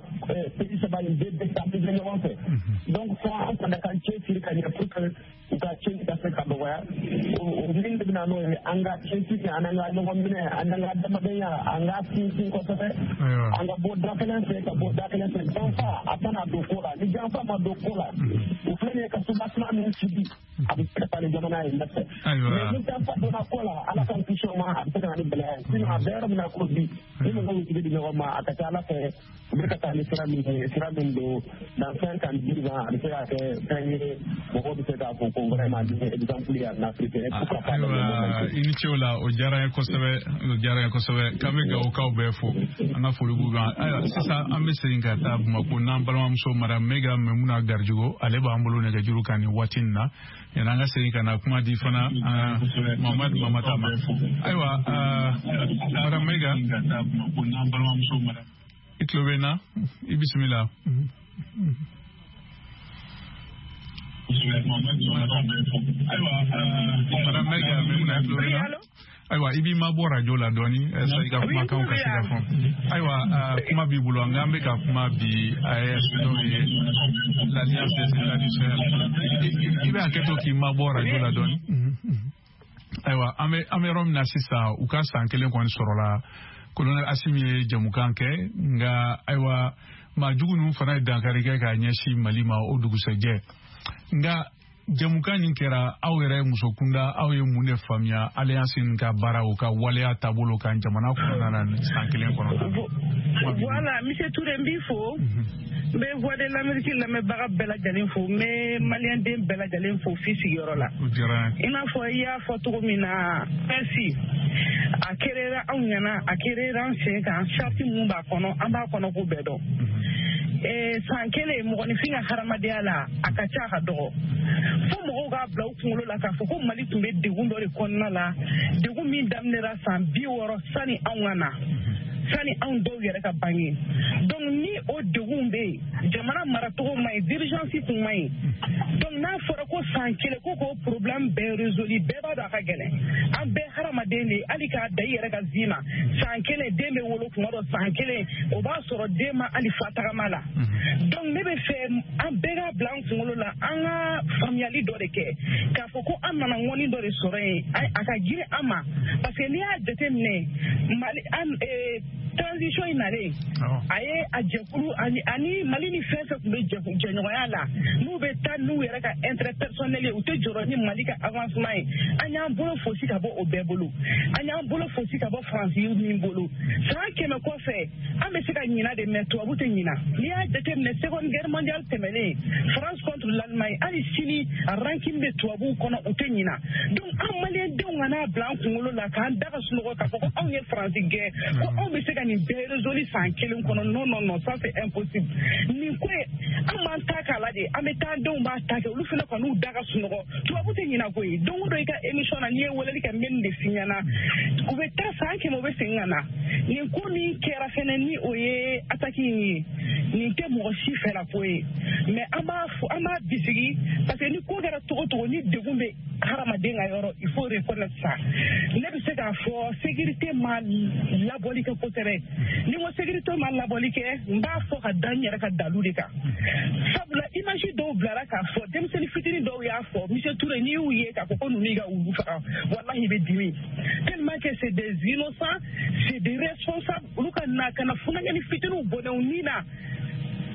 pays saba in bɛɛ déstabiliser ɲɔgɔn fɛ. Donc fo an fana k'an cɛsiri ka ɲɛ pour que u ka tiɲɛni ka se ka dɔgɔya. O min de bɛ na n'o ye, an ka cɛsiri, an ka ɲɔgɔn minɛ, an ka adamadenya, an ka sinsin kosɛbɛ, an ka bɔ da kelen fɛ ka bɔ da kelen fɛ. Janfa a kana don ko la, ni janfa ma don ko la, o filɛ nin ye ka soubassement min sigi, a bɛ se ka taa ni jamana ye ɲɛfɛ. Mais ni janfa donna ko la, Ala k'an kisi o ma, a bɛ se ka na ni gɛlɛya ye. Sinon a bɛ yɔrɔ min na ko bi, ni mɔgɔw y'u tigi di ɲɔgɔn ma, a ka ca Ala fɛ u bɛ ka taa ni sira min ye, sira min don dans 5 ans 10 ans, a bɛ se ka kɛ fɛn ye mɔgɔw bɛ se k'a fɔ ko vraiment nin ye exemple ye en Afrique. Ayiwa, i ni ce o la, o diyara n ye kosɛbɛ, o diyara n ye kosɛbɛ. K'an bɛ Gawokaw bɛɛ fo, an ka foli b'u kan. Ayiwa, sisan an bɛ segin ka taa Bamakɔ n'an balimamuso Madame Mega Memuna Garijogo, ale b'an bolo nɛgɛjuru kan nin waati in na. Yanni an ka segin ka na kuma di fana Mamadu Mamata ma. Ayiwa, Madame Mega, i tulo bɛ n na, i bisimila. Madame Mega Memuna, i tulo bɛ n na? Ayiwa, i b'i mabɔ radio la dɔɔni, i ka kumakanw ka se ka fɔ. Ayiwa, kuma b'i bolo, nka an bɛ ka kuma bi AES, n'o ye l'Alliance des États du Sahel. I bɛ hakɛ to k'i mabɔ radio la dɔɔni. Ayiwa, an bɛ yɔrɔ min na sisan, u ka san kelen kɔni sɔrɔla. Colonel Assimi ye jamukan kɛ, nka ayiwa, maa jugu ninnu fana ye dankari kɛ k'a ɲɛsin Mali ma o dugusɛjɛ. Nka jamukan nin kɛra, aw yɛrɛ muso kunda, aw ye mun de faamuya alliance nin ka baara, o ka waleya taabolo kan jamana kɔnɔna na san kelen kɔnɔna na? Voilà, monsieur Touré, n b'i fo. N bɛ Voix de l'Amérique lamɛnbaga bɛɛ lajɛlen fo, n bɛ maliyɛn den bɛɛ lajɛlen fo f'i sigiyɔrɔ la. I n'a fɔ i y'a fɔ cogo min na, AES a kɛra anw ɲɛna, a kɛra an sen kan, charte mun b'a kɔnɔ, an b'a kɔnɔ ko bɛɛ dɔn. San kelen mɔgɔninfin ka hadamadenya la, a ka ca, a ka dɔgɔ. Fo mɔgɔw k'a bila u kunkolo la k'a fɔ ko Mali tun bɛ degun dɔ de kɔnɔna la, degun min daminɛra san 60 sani anw ka na, sani anw dɔw yɛrɛ ka bange. Donc ni o degun bɛ yen, jamana maracogo man ɲi, dirigeance kun man ɲi. Donc n'a fɔra ko san kelen ko k'o problème bɛɛ résolu, bɛɛ b'a dɔn a ka gɛlɛn. An bɛɛ hadamaden de ye, hali k'a da i yɛrɛ ka vie ma. San kelen den bɛ wolo kuma dɔ, san kelen o b'a sɔrɔ den ma hali fa tagama la. Donc ne bɛ fɛ an bɛɛ k'a bila an kunkolo la, an ka faamuyali dɔ de kɛ k'a fɔ ko an nana ŋɔni dɔ de sɔrɔ yen, a ka girin an ma. Parce que n'i y'a jateminɛ, Mali an transition in nalen, a ye a jɛkulu ani Mali ni fɛn fɛn tun bɛ jɛɲɔgɔnya la, n'u bɛ taa n'u yɛrɛ ka intérêt personnel ye, u tɛ jɔrɔ ni Mali ka avancement ye. An y'an bolo fosi ka bɔ o bɛɛ bolo, an y'an bolo fosi ka bɔ Faransi min bolo. San 100 kɔfɛ, an bɛ se ka ɲina de, mais tubabu tɛ ɲina. N'i y'a jateminɛ, Seconde Guerre mondiale tɛmɛnen, France contre l'Allemagne, hali sini a rancune bɛ tubabuw kɔnɔ, u tɛ ɲina. Donc an maliyɛndenw kana bila an kunkolo la k'an da ka sunɔgɔ k'a fɔ ko anw ye Faransi gɛn, ko anw bɛ se ka nin bɛɛ résolu san kelen kɔnɔ. Non, non, non, ça c'est impossible. Nin ko ye, an b'an ta k'a la de, an bɛ taa denw b'a ta kɛ, olu fana kɔni da ka sunɔgɔ. Tubabu tɛ ɲina koyi. Don o don i ka émission na, n'i ye weleli kɛ, n bɛ nin de f'i ɲɛna. U bɛ taa san 100, u bɛ segin ka na. Nin ko min kɛra fɛnɛ, ni o ye attaque in ye, nin tɛ mɔgɔ si fɛla ko ye, mais an b'a fɔ, an b'a bisigi, parce que ni ko kɛra cogo cogo, ni degun bɛ hadamaden ka yɔrɔ, il faut reconnaître ça. Ne bɛ se k'a fɔ sécurité ma labɔli kɛ kosɛbɛ. Ni n ko sécurité ma labɔli kɛ, n b'a fɔ ka da n yɛrɛ ka dalu de kan. Sabula image dɔw bilara k'a fɔ, denmisɛnnin fitinin dɔw y'a fɔ, monsieur Touré, n'i y'u ye k'a fɔ ko ninnu y'i ka wulu faga, walahi i bɛ dimi. Tellement que c'est des innocents, c'est des responsables, olu ka na ka na funankɛni fitininw bɔnɛ u ni na,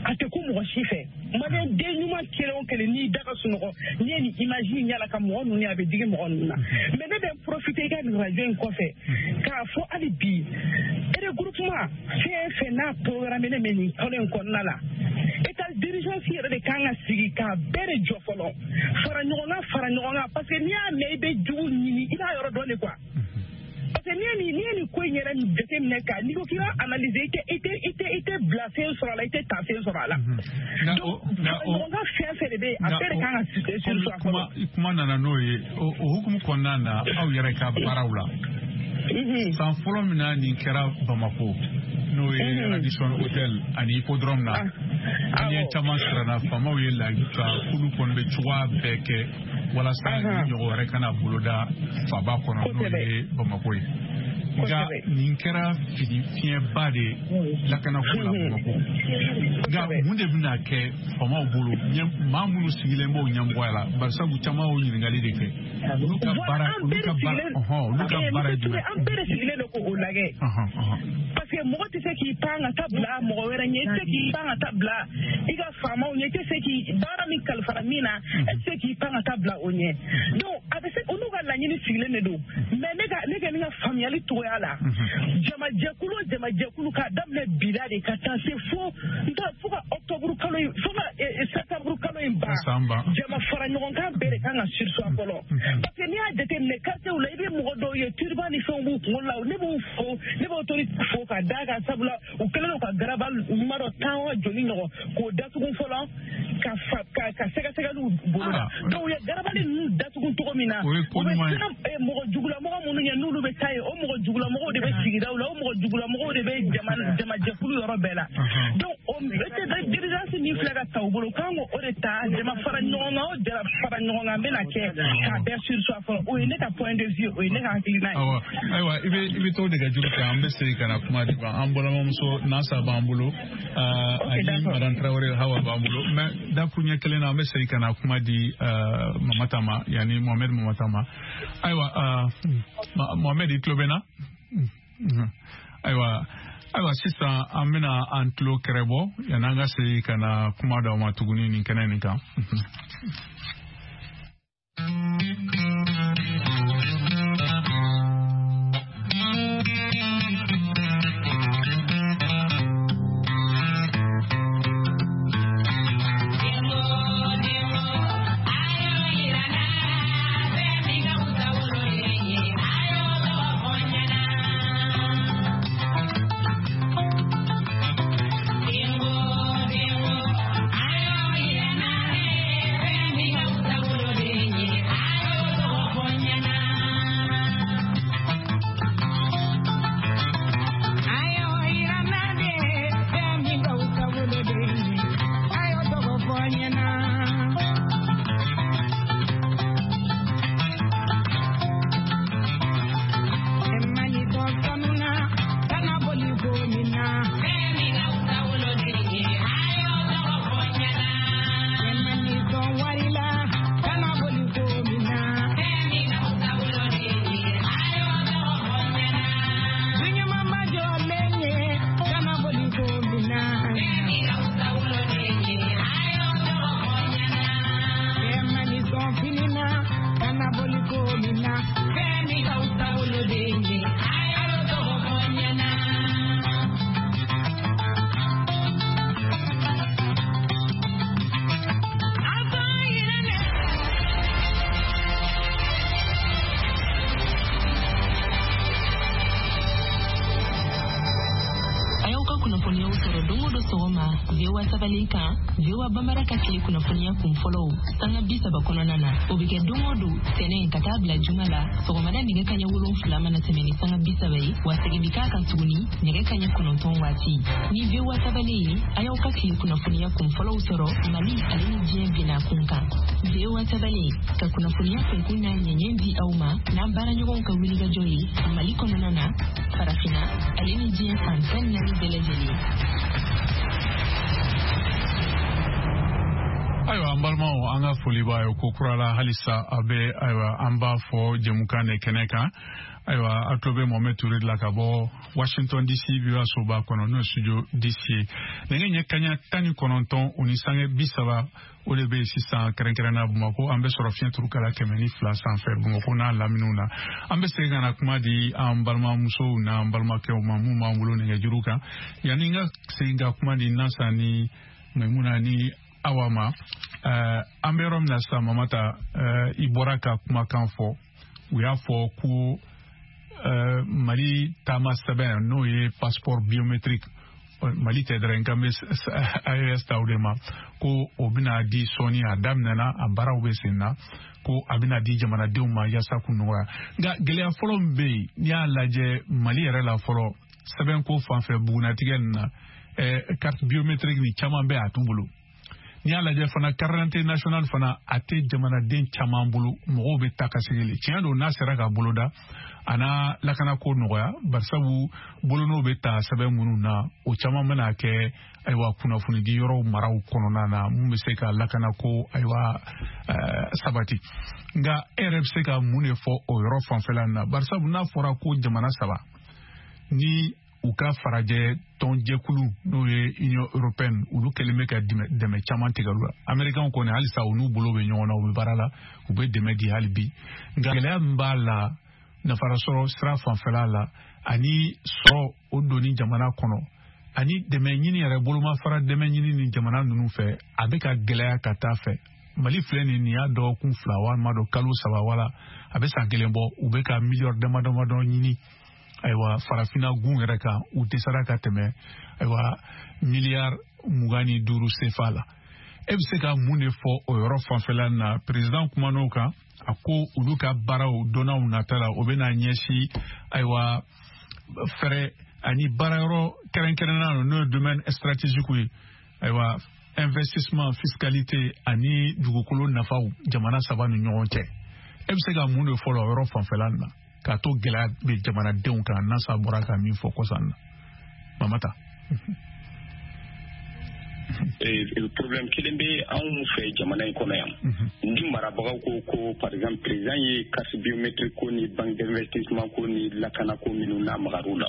a tɛ ko mɔgɔ si fɛ. Maliyɛn den ɲuman kelen o kelen, n'i da ka sunɔgɔ, n'i ye nin image in yala ka mɔgɔ ninnu ye, a bɛ digi mɔgɔ ninnu na. Mais ne bɛ profiter i ka nin radio in kɔfɛ k'a fɔ hali bi, regroupement fɛn fɛn n'a programme ne bɛ nin kalo in kɔnɔna la, état d'urgence yɛrɛ de kan ka sigi k'a bɛɛ de jɔ fɔlɔ, fara ɲɔgɔn kan, fara ɲɔgɔn kan, parce que n'i y'a mɛn i bɛ jugu ɲini, i b'a yɔrɔ dɔn de quoi. Parce que n'i ye nin ko in yɛrɛ jateminɛ ka n'i ko k'i b'a analyser, i tɛ bila fɛn sɔrɔ a la, i tɛ ta fɛn sɔrɔ a la. Donc ɲɔgɔn ka fɛn fɛn de bɛ yen, a bɛɛ de kan ka solution a kɔnɔ. Kuma nana n'o ye, o hukumu kɔnɔna na, aw yɛrɛ ka baaraw la, san fɔlɔ min na nin kɛra Bamakɔ, N'o ye Radisson Hotel ani Hippodrome na. Maliyɛn caman siranna, faamaw ye layidu ta k'olu kɔni bɛ cogoya bɛɛ kɛ walasa ni ɲɔgɔn wɛrɛ kana boloda faaba kɔnɔ, n'o ye Bamakɔ ye. Nka nin kɛra fili fiɲɛba de ye lakanako la Bamakɔ. Nka mun de bɛna kɛ faamaw bolo, maa minnu sigilen b'o ɲɛmɔgɔya la? Barisabu caman y'o ɲininkali de kɛ. Olu ka baara, olu ka baara, olu ka baara ye jumɛn? An bɛɛ de sigilen don k'o lajɛ. Parce que mɔgɔ tɛ se k'i pan ka taa bila mɔgɔ wɛrɛ ɲɛ, i tɛ se k'i pan ka taa bila i ka faamaw ɲɛ, i tɛ se k'i baara min kalifara min na, e tɛ se k'i pan ka taa bila o ɲɛ. Donc a bɛ se, olu ka laɲini sigilen de don. Mais ne ka ne kɛ ni ka faamuyali cogoya la, jamajɛkulu k'a daminɛ bila de ka taa se fo n t'a fo ka octobre kalo in, fo ka septembre kalo in ban, jama fara ɲɔgɔn kan bɛɛ de kan ka surseoir fɔlɔ. Parce que n'i y'a jateminɛ quartier la, i bɛ mɔgɔ dɔw ye turban ni fɛnw b'u kunkolo la. Ne b'u fo, ne b'o autorité fo ka d'a kan, sabula u kɛlen don ka garaba ɲuman dɔ tan wa joli ɲɔgɔn k'o datugu fɔlɔ ka ka sɛgɛsɛgɛliw boloda. Donc u ye garabali ninnu datugu cogo min na, u bɛ siran mɔgɔ jugulamɔgɔ minnu ɲɛ, n'olu bɛ taa yen, o mɔgɔ jugulamɔgɔw de bɛ sigidaw la, o mɔgɔ jugulamɔgɔw de bɛ jamajɛkulu yɔrɔ bɛɛ la. Donc o d'urgence min filɛ ka ta u bolo, k'an k'o de ta, jama fara ɲɔgɔn kan, o jara fara ɲɔgɔn kan bɛna kɛ k'a bɛɛ surseoir fɔlɔ. O ye ne ka point de vue, o ye ne ka hakilina ye. Ayiwa, i bɛ to nɛgɛjuru kan, an bɛ segin ka na kuma di ban. An balimamuso Nasa b'an bolo, ani Madame Traoré Hawa b'an bolo. Mais dakuruɲɛ kelen na, an bɛ segin ka na kuma di Mamata ma, yanni Mohamed Mamata ma. Ayiwa Mohamed, i tulo bɛ na? Ayiwa, sisan an bɛna an tulo kɛrɛbɔ yanni an ka segin ka na kuma d'aw ma tuguni nin kɛnɛ nin kan. VOA Bambara ka tile kunnafoniya kun fɔlɔw sanga 30 kɔnɔna na, o bɛ kɛ don o don tɛnɛn ka taa bila juma la sɔgɔmada nɛgɛ kaɲɛ 7 mana tɛmɛ ni sanga 30 ye, wa segin bɛ k'a kan tuguni nɛgɛ kaɲɛ 9 waati. Ni VOA tabale ye, a y'aw ka tile kunnafoniya kun fɔlɔw sɔrɔ Mali ale ni diɲɛ binna kun kan. VOA tabale ka kunnafoniya kunkun n'a ɲɛɲɛ di aw ma n'an baaraɲɔgɔnw ka wulikajɔ ye Mali kɔnɔna na, farafinna ale ni diɲɛ fan 14 bɛɛ lajɛlen. Ayiwa an balimaw, an ka foli b'a ye ko kura la halisa a bɛ. Ayiwa, an b'a fɔ jɛmukan de kɛnɛ kan. Ayiwa, a tulo bɛ Mohamed Touré de la ka bɔ Washington DC VOA soba kɔnɔ, n'o ye studio DC ye. Nɛgɛ ɲɛ kaɲa 19 o ni sange 30 o de bɛ sisan, kɛrɛnkɛrɛnna Bamakɔ. An bɛ sɔrɔ fiɲɛ turukala 102 sanfɛ Bamakɔ n'a laminiw na. An bɛ segin ka na kuma di an balimamusow n'an balimakɛw ma mun b'an bolo nɛgɛjuru kan. Yanni n ka segin ka kuma di Nasa ni Maimuna ni Awa ma, an bɛ yɔrɔ min na sisan, Mamata, i bɔra ka kumakan fɔ. U y'a fɔ ko Mali taama sɛbɛn, n'o ye passeport biométrique, Mali tɛ dɛrɛ, nka bɛ AES ta o de ma, ko o bɛna di sɔɔni. A daminɛna, a baaraw bɛ sen na, ko a bɛna di jamanadenw ma yaasa k'u nɔgɔya. Nka gɛlɛya fɔlɔ min bɛ yen, n'i y'a lajɛ Mali yɛrɛ la fɔlɔ, Sɛbɛnko fan fɛ, bugunatigɛ nin na, carte biométrique ni caman bɛ a t'u bolo. N'i y'a lajɛ fana, carte d'identité nationale fana, a tɛ jamanaden caman bolo. Mɔgɔw bɛ taa ka segin. Tiɲɛ don, n'a sera ka boloda, a n'a lakanako nɔgɔya, barisabu bolonɔw bɛ ta sɛbɛn minnu na, o caman bɛna kɛ, ayiwa, kunnafonidi yɔrɔw maraw kɔnɔna na, mun bɛ se ka lakanako, ayiwa, sabati. Nka e yɛrɛ bɛ se ka mun de fɔ o yɔrɔ fanfɛla na? Barisabu n'a fɔra ko jamana saba ni u ka farajɛ tɔnjɛkulu, n'o ye Union européenne, olu kɛlen bɛ ka dɛmɛ caman tigɛ olu la. Américain kɔni, halisa u n'u bolo bɛ ɲɔgɔn na, u bɛ baara la, u bɛ dɛmɛ di hali bi. Nka gɛlɛya min b'a la nafarasɔrɔ sira fanfɛla la, ani sɔrɔ o donni jamana kɔnɔ, ani dɛmɛ ɲini yɛrɛ, bolomafara dɛmɛ ɲini ni jamana ninnu fɛ, a bɛ ka gɛlɛya ka taa fɛ. Mali filɛ nin y'a dɔgɔkun 2 walima dɔ kalo 3 wala a bɛ san kelen bɔ, u bɛ ka miliyɔri dama damadɔ ɲini, ayiwa, farafinna gun yɛrɛ kan. U dɛsɛra ka tɛmɛ, ayiwa, miliyari 25 sefa la. E bɛ se ka mun de fɔ o yɔrɔ fanfɛla na? Président kuman'o kan, a ko olu ka baaraw donnaw nata la, o bɛna ɲɛsin, ayiwa, fɛɛrɛ ani baarayɔrɔ kɛrɛnkɛrɛnnenya, n'o ye domaine stratégique ye, ayiwa, investissement, fiscalité ani dugukolo nafaw jamana saba ni ɲɔgɔn cɛ. E bɛ se ka mun de fɔ o yɔrɔ fanfɛla na, k'a to gɛlɛya bɛ jamanadenw kan, nasa bɔra ka min fɔ kɔsan na, Mamata? Problème kelen bɛ anw fɛ jamana in kɔnɔ yan. Ni marabagaw ko, par exemple, président ye carte biométrique ko ni banque d'investissement ko ni lakana ko minnu n'a magar'u la,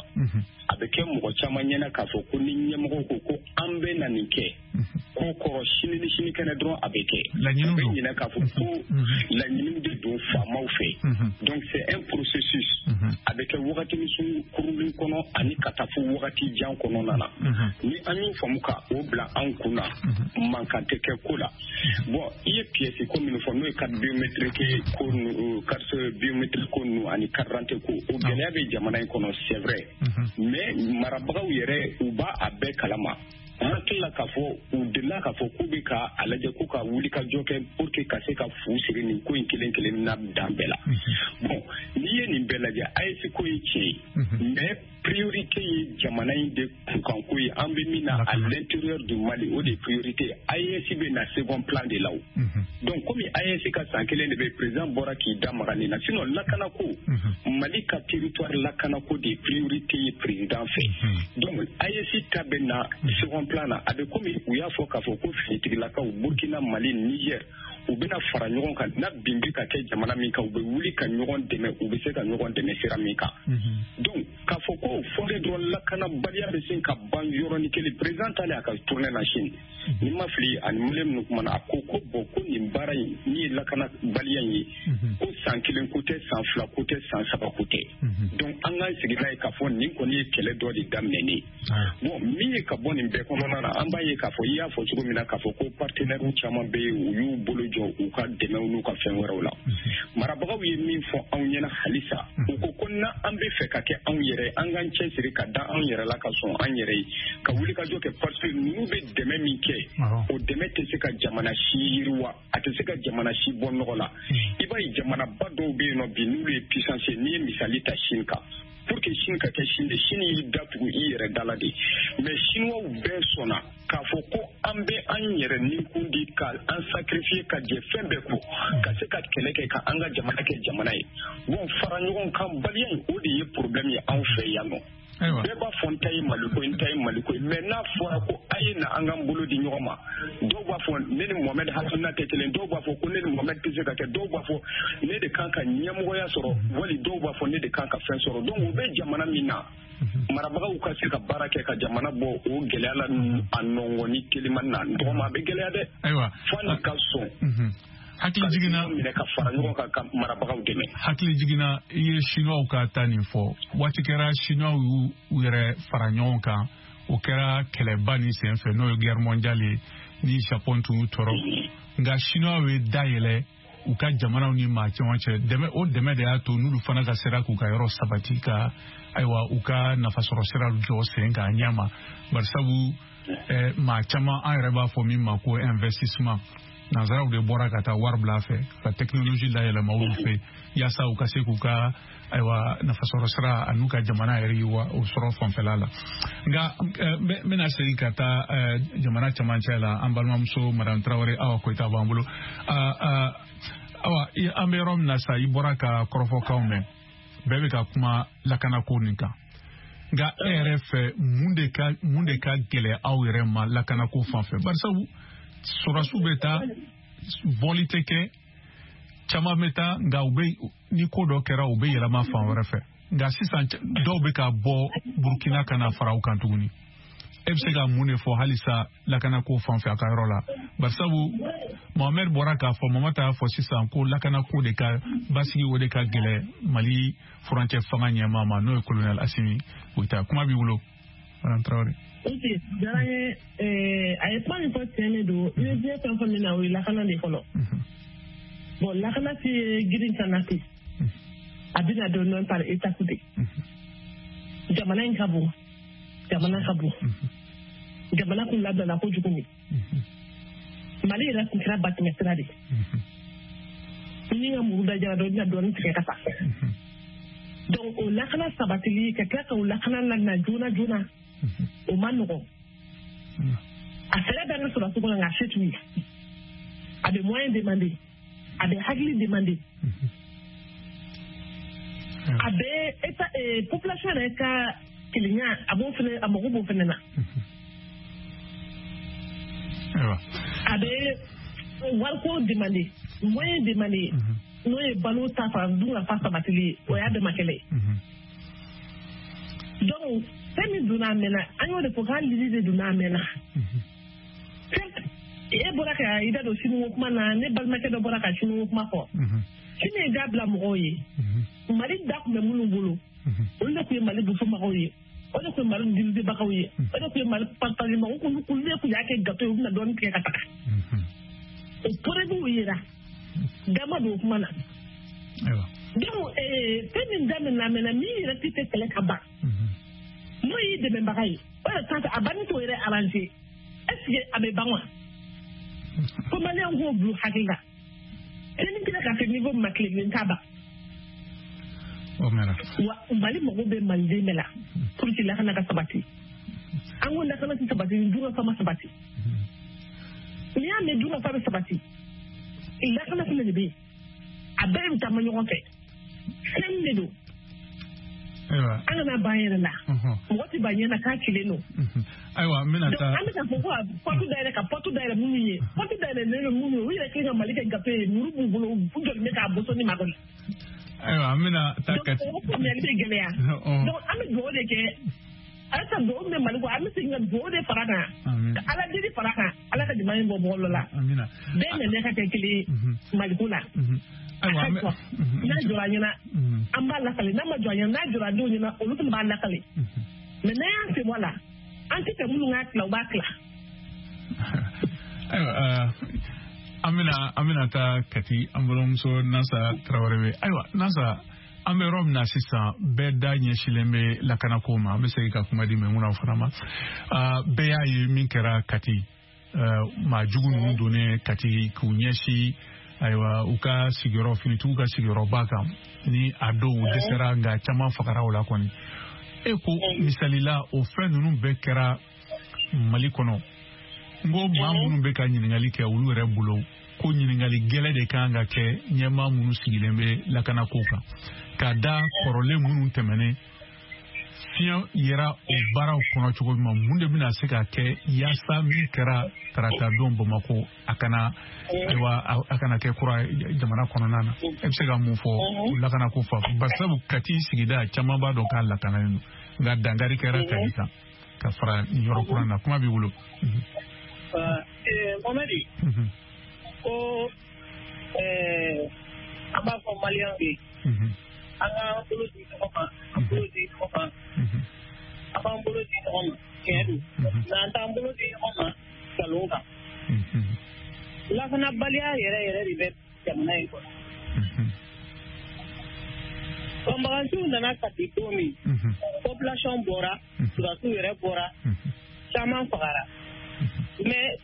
a bɛ kɛ mɔgɔ caman ɲɛna k'a fɔ ko ni ɲɛmɔgɔw ko an bɛ na nin kɛ, ko kɔrɔ sini ni sini kɛnɛ dɔrɔn a bɛ kɛ. Laɲiniw. U bɛ ɲinɛ k'a fɔ ko laɲiniw de don faamaw fɛ. Donc c'est un processus, a bɛ kɛ wagati min kurunin kɔnɔ ani ka taa fo wagati jan kɔnɔna na. Ni an y'o faamu ka o bila an kun na, mankan tɛ kɛ ko la. Bon, i ye pièce ko minnu fɔ, n'o ye carte biométrique ko nu, carte biométrique ko ninnu ani carte d'identité ko, o gɛlɛya bɛ jamana in kɔnɔ, c'est vrai, mais marabagaw yɛrɛ, u b'a a bɛɛ kalama. An hakili la k'a fɔ u delila k'a fɔ k'u bɛ ka a lajɛ k'u ka wuli ka jɔ kɛ pour que ka se ka fu siri nin ko in kelen kelen na dan bɛɛ la. Bon, n'i ye nin bɛɛ lajɛ, AES ko ye tiɲɛ ye, mais priorité ye jamana in de kunkanko ye. An bɛ min na à l'intérieur du Mali, o de ye priorité ye. AES bɛ na second plan de la o. Donc komi AES ka san kelen de bɛ, président bɔra k'i da maga nin na. Sinon lakanako, Mali ka territoire lakanako de ye priorité ye président fɛ. Donc AES ta bɛ na second plan na. A bɛ komi u y'a fɔ k'a fɔ ko finitigilakaw, Burkina, Mali, Niger, u bɛna fara ɲɔgɔn kan na bin bɛ ka kɛ jamana min kan, u bɛ wuli ka ɲɔgɔn dɛmɛ, u bɛ se ka ɲɔgɔn dɛmɛ sira min kan. Donc k'a fɔ ko fɔlen dɔrɔn lakanabaliya bɛ se ka ban yɔrɔnin kelen, président taalen a ka tournée na Chine, ni ma fili, ani malien minnu kumana, a ko ko bon, ko nin baara in min ye lakanabaliya in ye, ko san kelen ko tɛ, san 2 ko tɛ, san 3 ko tɛ. Donc an k'an sigi n'a ye k'a fɔ nin kɔni ye kɛlɛ dɔ de daminɛnen ye. Bon, min ye ka bɔ nin bɛɛ kɔnɔna na, an b'a ye k'a fɔ i y'a fɔ cogo min na k'a fɔ ko partenaires caman bɛ yen, u y'u bolo jɔ u ka dɛmɛw n'u ka fɛn wɛrɛw la. Marabagaw ye min fɔ anw ɲɛna halisa, u ko ko na an bɛ fɛ ka kɛ anw yɛrɛ, an k'an cɛsiri ka da anw yɛrɛ la, ka sɔn an yɛrɛ ye, ka wuli ka jɔ kɛ, parce que ninnu bɛ dɛmɛ min kɛ, o dɛmɛ tɛ se ka jamana si yiriwa, a tɛ se ka jamana si bɔ nɔgɔ la. I b'a ye, jamanaba dɔw bɛ yen nɔ bi, n'olu ye puissance ye, n'i ye misali ta Chine kan, pour que Chine ka kɛ Chine de, Chine y'i datugu i yɛrɛ da la de. Mais Chinois bɛɛ sɔnna k'a fɔ ko an bɛ an yɛrɛ nikun di, ka an sacrifier, ka jɛ fɛn bɛɛ kɔ, ka se ka kɛlɛ kɛ ka an ka jamana kɛ jamana ye. Bon, fara ɲɔgɔn kan baliya in, o de ye problème ye anw fɛ yan nɔ. Bɛɛ b'a fɔ n ta ye Maliko ye, n ta ye Maliko ye, mais n'a fɔra ko a ye na an k'an bolo di ɲɔgɔn ma, dɔw b'a fɔ ne ni Mohamed hakilina tɛ kelen, dɔw b'a fɔ ko ne ni Mohamed tɛ se ka kɛ, dɔw b'a fɔ ne de kan ka ɲɛmɔgɔya sɔrɔ, wali dɔw b'a fɔ ne de kan ka fɛn sɔrɔ. Donc o bɛ jamana min na, marabagaw ka se ka baara kɛ ka jamana bɔ o gɛlɛya la a nɔngɔni telimani na, n tɔgɔma, a bɛ gɛlɛya dɛ. Fo nin ka sɔn Hakili jiginna minɛ ka fara ɲɔgɔn kan ka marabagaw dɛmɛ. Hakili jiginna, i ye Chinois ka ta nin fɔ. Waati kɛra, Chinois y'u u yɛrɛ fara ɲɔgɔn kan, o kɛra kɛlɛba nin senfɛ, n'o ye guerre mondiale ye, ni Japon tun y'u tɔɔrɔ. Nka Chinois ye da yɛlɛ u ka jamanaw ni maa caman cɛ. Dɛmɛ, o dɛmɛ de y'a to n'olu fana ka sera k'u ka yɔrɔ sabati, ka, ayiwa, u ka nafasɔrɔ sira jɔ sen kan ɲɛ ma. Barisabu maa caman, an yɛrɛ b'a fɔ min ma ko investissement. Nanzaraw de bɔra ka taa wari bila a fɛ ka technologie layɛlɛma olu fɛ yaasa u ka se k'u ka ayiwa nafasɔrɔ sira an'u ka jamana yɛrɛ yiriwa o sɔrɔ fanfɛla la. Nka n bɛna segin ka taa jamana cɛmancɛ la, an balimamuso Madame Traoré Awa Koyita b'an bolo. Awa, an bɛ yɔrɔ min na sa, i bɔra ka kɔrɔfɔkanw mɛn, bɛɛ bɛ ka kuma lakanako nin kan. Nka e yɛrɛ fɛ, mun de ka gɛlɛn aw yɛrɛ ma lakanako fan fɛ? Barisabu sɔrɔdasiw bɛ taa, bɔli tɛ kɛ, caman bɛ taa, nka u bɛ ni ko dɔ kɛra u bɛ yɛlɛma fan wɛrɛ fɛ. Nka sisan dɔw bɛ ka bɔ Burukina ka na fara u kan tuguni. E bɛ se ka mun de fɔ halisa lakanako fan fɛ a ka yɔrɔ la? Barisabu Mohamed bɔra k'a fɔ, Mamata y'a fɔ sisan ko lakanako de ka basigi, o de ka gɛlɛn Mali furancɛ fanga ɲɛmaa ma, n'o ye colonel Assimi Goïta. Kuma b'i bolo, Madame Traoré. Ok, diyara n ye. A ye kuma min fɔ, tiɲɛ de don. I bɛ diɲɛ fɛn fɛn min na, o ye lakana de fɔlɔ. Bon, lakana tɛ girin ka na ten, a bɛ na dɔɔnin dɔɔnin par étape de. Jamana in ka bon, jamana ka bon, jamana kun labilala kojugu de. Mali yɛrɛ kun kɛra batɛmɛ sira de. Ni ka muru da jara dɔn, i bɛna dɔɔnin tigɛ ka taa. Donc o lakana sabatili, ka tila ka o lakana lana joona joona, o ma nɔgɔn. A fɛɛrɛ bɛ an ka sɔrɔdasiw kɔnɔ, nka a se t'u ye. A bɛ moyen demander, a bɛ hakili demander, a bɛ état population yɛrɛ ka kelenya, a b'o fɛnɛ, a mago b'o fɛnɛ na. A bɛ wariko demander, moyen demander, n'o ye balo ta fan, dun ka fa sabatili ye, o y'a dama kɛlɛ ye. Donc fɛn min donna a mɛnna, an y'o de fɔ k'an lili de donna a mɛnna. E bɔra ka i da don siniko kuma na, ne balimakɛ dɔ bɔra ka siniko kuma fɔ. Sini ye da bila mɔgɔw ye. Mali da tun bɛ minnu bolo, olu de tun ye Mali dusumagaw ye, o de tun ye Mali divisebagaw ye, o de tun ye Mali partagebagaw, olu de tun y'a kɛ gâteau ye, u bɛna dɔɔnin tigɛ ka taga. O preuve yera, dama don o kuma na. Donc fɛn min daminɛna a mɛnna, min yɛrɛ tɛ kɛlɛ ka ban, n'o y'i dɛmɛbaga ye, o yɛrɛ t'a a banni t'o yɛrɛ arranger. Est ce que a bɛ ban wa? Ko maliyɛnw k'o bila hakili la. Sini kɛra ka se niveau min ma, tile kelen t'a ban. Wa Mali mago bɛ maliden bɛɛ la pour que lakana ka sabati. An ko lakana tɛ sabati ni dunkafa ma sabati. N'i y'a mɛn dunkafa bɛ sabati, lakana fɛnɛ de bɛ yen. A bɛɛ bɛ taama ɲɔgɔn fɛ. Fɛn de don. An kana ban yɛrɛ la. Mɔgɔ tɛ ban ɲɛ na k'a cilen don. Ayiwa, n bɛna taa. An bɛ ka fɔ ko ka porte dayɛlɛ, ka porte dayɛlɛ minnu ye. Porte dayɛlɛlen don minnu ye, u yɛrɛ kelen ka Mali kɛ gafe ye, muru b'u bolo, u jɔlen bɛ k'a boso ni makɔnɔ. Ayiwa, an bɛna taa Kati. Donc o faamuyali bɛ gɛlɛya. Donc an bɛ dugawu de kɛ. Halisa dugawu min bɛ Mali kɔ, an bɛ segin ka dugawu de fara kan. Ka Ala deli fara kan, Ala ka jamana in bɔ bɔlɔ la. Bɛɛ nɛnɛ ka kɛ kelen ye Maliko la. Ayiwa, n'a jɔra an ɲɛna, an b'a lakale. N'a ma jɔ an ɲɛna, n'a jɔra denw ɲɛna, olu fana b'a lakale. Mais n'an y'an sen bɔ a la, an tɛ fɛ minnu k'a tila, u b'a tila. Ayiwa, an bɛna taa Kati, an balimamuso Nasa Traoré bɛ. Ayiwa Nasa, an bɛ yɔrɔ min na sisan, bɛɛ da ɲɛsilen bɛ lakanako ma. An bɛ segin ka kuma di Maimuna fana ma. Bɛɛ y'a ye min kɛra Kati, maa jugu ninnu donnen Kati k'u ɲɛsin ayiwa u ka sigiyɔrɔ, finitigiw ka sigiyɔrɔba kan, ni a dɔw dɛsɛra, nka caman fagara o la kɔni. E ko misali la, o fɛn ninnu bɛɛ kɛra Mali kɔnɔ. N ko maa minnu bɛ ka ɲininkali kɛ, olu yɛrɛ bolo ko ɲininkali gɛlɛn de kan ka kɛ ɲɛmaa minnu sigilen bɛ lakanako kan, ka da kɔrɔlen minnu tɛmɛnen fiɲɛ yera o baaraw kɔnɔ cogo min ma. Mun de bɛna se ka kɛ yaasa min kɛra tarata don Bamakɔ, a kana ayiwa a kana kɛ kura jamana kɔnɔna na? E bɛ se ka mun fɔ o lakanako fan? Barisabu Kati sigida caman b'a dɔn k'a lakanalen don, nka dankari kɛra Kati kan ka fara nin yɔrɔ kura na. Kuma b'i bolo. Mohamɛdi, ko an b'a fɔ maliyɛnw ye, an k'an bolo di ɲɔgɔn ma, an bolo di ɲɔgɔn ma, an b'an bolo di ɲɔgɔn ma, tiɲɛ don, nka an t'an bolo di ɲɔgɔn ma nkalon kan. Lakanabaliya yɛrɛ yɛrɛ de bɛ jamana in kɔnɔ. Banbaganciw nana Kati don min, population bɔra, sɔrɔdasiw yɛrɛ bɔra, caman fagara. Mais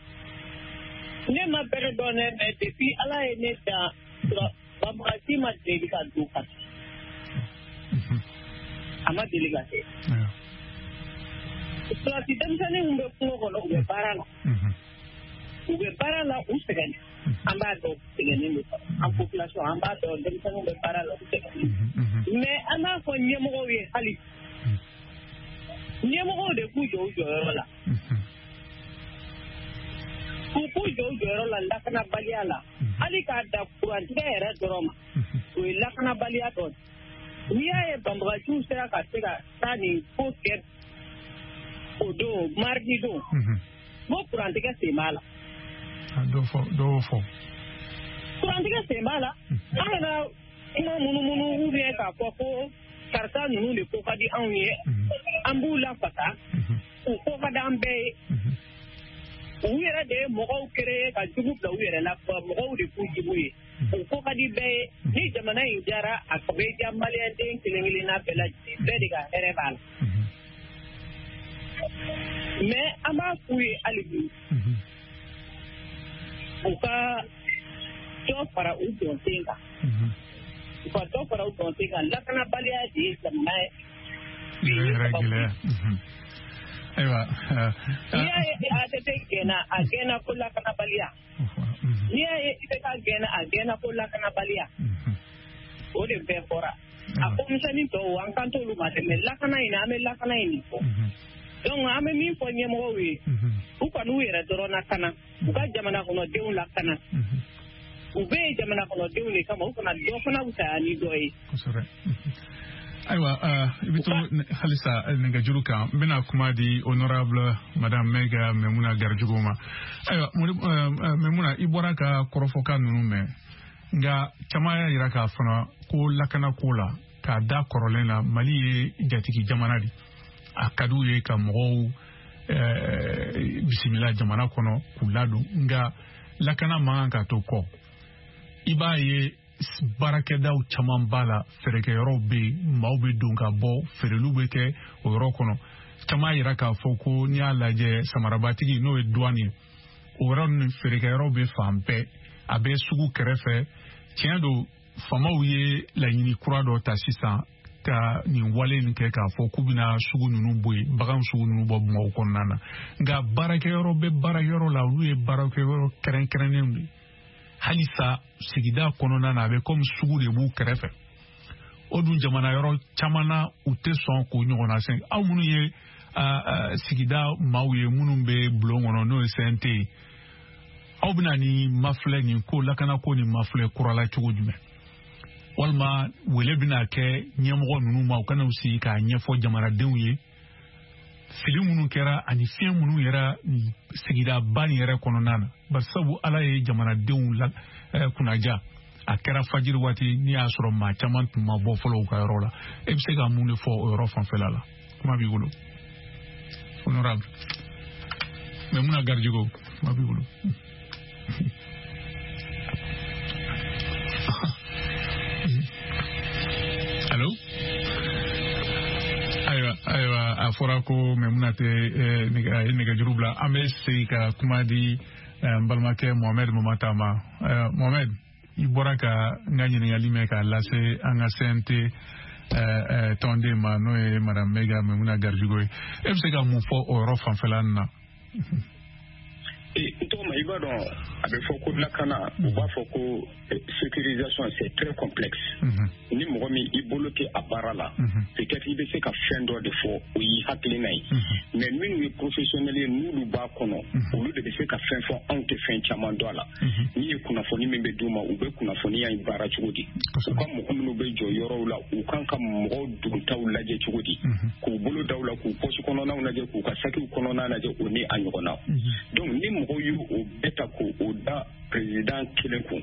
Ne ma bɛrɛ dɔn dɛ, mais depuis Ala ye ne dan, banbagaci ma deli ka don Kati. A ma deli ka kɛ. Sɔrɔdasi denmisɛnnin min bɛ kungo kɔnɔ, u bɛ baara la. U bɛ baara la, u sɛgɛnnen. An b'a dɔn sɛgɛnnen don. An population, an b'a dɔn denmisɛnninw bɛ baara la, u sɛgɛnnen. Mais an b'a fɔ ɲɛmɔgɔw ye hali. Ɲɛmɔgɔw de k'u jɔ u jɔyɔrɔ la. K'u k'u jɔ u jɔyɔrɔ la lakanabaliya la. Hali k'a da kurantigɛ yɛrɛ dɔrɔn ma. O ye lakanabaliya dɔ ye. N'i y'a ye banbagaciw sera ka se ka taa nin ko kɛ o don mardi don, n ko kurantigɛ sen b'a la. Dɔw fɔ. Kurantigɛ sen b'a la. An kana kuma munumunu ou bien k'a fɔ ko karisa ninnu de ko ka di anw ye, an b'u lafasa, u ko ka di an bɛɛ ye. U yɛrɛ de ye mɔgɔw créer ka jugu bila u yɛrɛ la, mɔgɔw de k'u jugu ye. U ko ka di bɛɛ ye. Ni jamana in diyara, a bɛ diya maliyɛnden kelen kelenna bɛɛ lajɛlen, bɛɛ de ka hɛrɛ b'a la. Mais an b'a f'u ye hali bi, u ka dɔ fara u jɔsen kan. U ka dɔ fara u jɔsen kan. Lakanabaliya de ye jamana ye. Yɛrɛ gɛlɛya. Ayiwa. N'i y'a ye ATT gɛnna, a gɛnna ko lakanabaliya. N'i y'a ye IBK gɛnna, a gɛnna ko lakanabaliya. O de bɛɛ fɔra. A ko misɛnnin tɔw, an kan t'olu ma dɛ, mais lakana in, an bɛ lakana in de fɔ. Donc an bɛ min fɔ ɲɛmɔgɔw ye, u kan'u yɛrɛ dɔrɔn lakana, u ka jamana kɔnɔdenw lakana. U bɛ yen jamana kɔnɔdenw de kama, u kana dɔ fana fisaya ni dɔ ye. Kosɛbɛ. Ayiwa, i bɛ to halisa nɛgɛjuru kan, n bɛna kuma di honorable madame Maiga Maimouna Garijɛgɛ ma. Ayiwa, Maimouna, i bɔra ka kɔrɔfɔkan ninnu mɛn, nka caman y'a jira k'a fana ko lakanako la, k'a da kɔrɔlen na, Mali ye jatigi jamana de. A ka d'u ye ka mɔgɔw bisimila jamana kɔnɔ k'u ladon, nka lakana man kan ka to kɔ. I b'a ye baarakɛdaw caman b'a la, feerekɛyɔrɔw bɛ yen, maaw bɛ don ka bɔ, feereliw bɛ kɛ o yɔrɔ kɔnɔ. Caman yira k'a fɔ ko n'i y'a lajɛ samarabatigi n'o ye douane ye, o yɔrɔ ninnu feerekɛyɔrɔ bɛ fan bɛɛ, a bɛ sugu kɛrɛfɛ. Tiɲɛ don, faamaw ye laɲini kura dɔ ta sisan ka nin wale nin kɛ k'a fɔ k'u bɛna sugu ninnu bɔ yen, bagan sugu ninnu bɔ Bamakɔ kɔnɔna na. Nka baarakɛyɔrɔ bɛ baarakɛyɔrɔ la, olu ye baarakɛyɔrɔ kɛrɛnkɛrɛnnenw de ye. Halisa sigida kɔnɔna na, a bɛ komi sugu de b'u kɛrɛfɛ. O dun jamana yɔrɔ caman na, u tɛ sɔn k'o ɲɔgɔnna sen. Aw minnu ye sigida maaw ye, minnu bɛ bulon kɔnɔ n'o ye CNT ye, aw bɛna nin mafilɛ nin ko lakanako nin mafilɛ kura la cogo jumɛn? Walima wele bɛna kɛ ɲɛmɔgɔ ninnu ma, u kana u sigi k'a ɲɛfɔ jamanadenw ye fili minnu kɛra ani fiɲɛ minnu yɛrɛ sigidaba nin yɛrɛ kɔnɔna na. Barisabu Ala ye jamanadenw kunnaja, a kɛra fajiri waati n'i y'a sɔrɔ maa caman tun ma bɔ fɔlɔ u ka yɔrɔ la. E bɛ se ka mun de fɔ o yɔrɔ fanfɛla la? Kuma b'i bolo, honorable Maimouna Garijɛgɛ, kuma b'i bolo. Allo? Ayiwa, a fɔra ko Maimouna tɛ nɛgɛjuru bila. An bɛ segin ka kuma di n balimakɛ Mohamed Mamata ma. Mohamed, i bɔra ka n ka ɲininkali mɛn k'a lase an ka CNT tɔnden ma, n'o ye madame Maiga Maimouna Garijɛgɛ ye. E bɛ se ka mun fɔ o yɔrɔ fanfɛla nin na? N tɔgɔ ma, i b'a dɔn a bɛ fɔ ko lakana, u b'a fɔ ko sécurisation, c'est très complexe. Ni mɔgɔ min i bolo tɛ a baara la, peut-être i bɛ se ka fɛn dɔ de fɔ, o y'i hakilina ye. Mais minnu ye professionnel ye, n'olu b'a kɔnɔ, olu de bɛ se ka fɛn fɔ, anw tɛ fɛn caman dɔn a la. N'i ye kunnafoni min bɛ d'u ma, u bɛ kunnafoniya in baara cogo di? U ka mɔgɔ minnu bɛ jɔ yɔrɔw la, u kan ka mɔgɔw dontaw lajɛ cogo di? K'u bolo daw la, k'u poche kɔnɔnaw lajɛ, k'u ka sakiw kɔnɔna lajɛ, o ni a ɲɔgɔnna. Donc ni mɔgɔw y'o bɛɛ ta k'o da président kelen kun,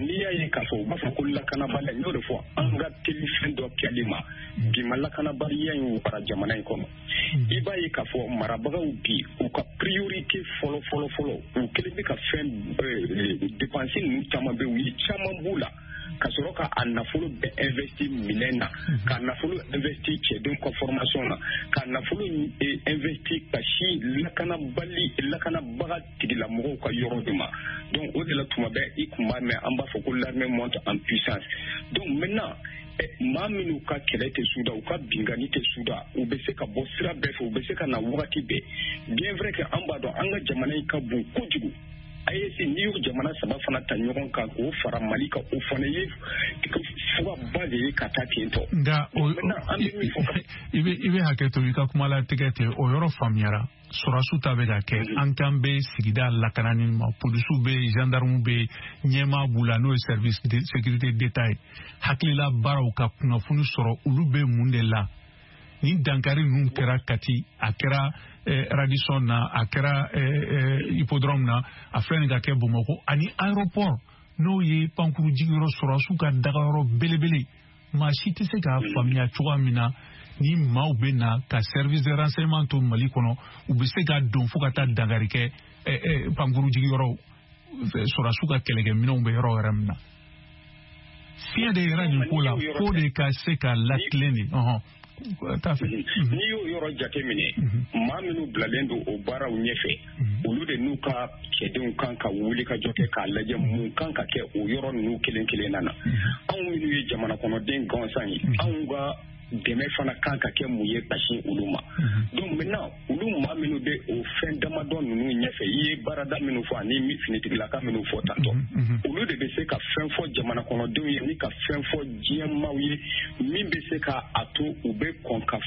n'i y'a ye k'a fɔ u b'a fɔ ko lakanabaliya, n y'o de fɔ, an ka teli fɛn dɔ kɛli ma bi, ma lakanabaliya in wara jamana in kɔnɔ. I b'a ye k'a fɔ marabagaw bi, u ka priorité fɔlɔ fɔlɔ fɔlɔ, u kelen bɛ ka fɛn dépense ninnu caman bɛ, u ye caman b'u la. Ka sɔrɔ ka a nafolo bɛɛ investi minɛn na, ka nafolo investi cɛdenw ka formation na, ka nafolo investi ka si lakanabaga tigilamɔgɔw ka yɔrɔ de ma. Donc o de la tuma bɛɛ i kun b'a mɛn an b'a fɔ ko l'armée monte en puissance. Donc maintenant maa minnu ka kɛlɛ tɛ suda, u ka binkanni tɛ suda, u bɛ se ka bɔ sira bɛɛ fɛ, u bɛ se ka na wagati bɛɛ. Bien vrai que an b'a dɔn an ka jamana in ka bon kojugu. AES n'i y'o jamana saba fana ta ɲɔgɔn kan k'o fara Mali kan, o fana ye fugaba de ye ka taa ten tɔ. Nka i bɛ hakɛ to i ka kuma latigɛ ten, o yɔrɔ faamuyara. Sɔrɔsiw ta bɛ ka kɛ, an kan bɛ sigida lakanani ma, polisiw bɛ yen, gendarmew bɛ yen, ɲɛmaa b'u la n'o ye service de sécurité d'État ye. Hakilila baaraw ka kunnafoni sɔrɔ olu bɛ mun de la. Ni dankari ninnu kɛra Kati, a kɛra Radisson na, a kɛra hippodrome na, a filɛ nin ka kɛ Bamakɔ ani aéroport n'o ye pankuru jigiyɔrɔ sɔrɔsiw ka dagayɔrɔ belebele. Maa si tɛ se k'a faamuya cogoya min na ni maaw bɛ na ka service de renseignement to Mali kɔnɔ, u bɛ se ka don fo ka taa dankari kɛ pankuru jigiyɔrɔ sɔrɔsiw ka kɛlɛkɛminɛnw bɛ yɔrɔ wɛrɛ min na. Fiɲɛ de yɛrɛ nin ko la, fo de ka se ka latilen de. N'i y'o yɔrɔ jateminɛ, maa minnu bilalen don o baaraw ɲɛfɛ, olu de n'u ka cɛdenw kan ka wuli ka jɔ kɛ k'a lajɛ mun kan ka kɛ o yɔrɔ ninnu kelen kelenna na. Anw minnu ye jamana kɔnɔden gansan ye, anw ka dɛmɛ fana kan ka kɛ mun ye ka sin olu ma. Donc maintenant olu maa minnu bɛ o fɛn damadɔ ninnu ɲɛfɛ, i ye baarada minnu fɔ ani finitigilaka minnu fɔ tantɔ, olu de bɛ se ka fɛn fɔ jamana kɔnɔdenw ye ni ka fɛn fɔ diɲɛ maaw ye min bɛ se ka a to u bɛ kɔn ka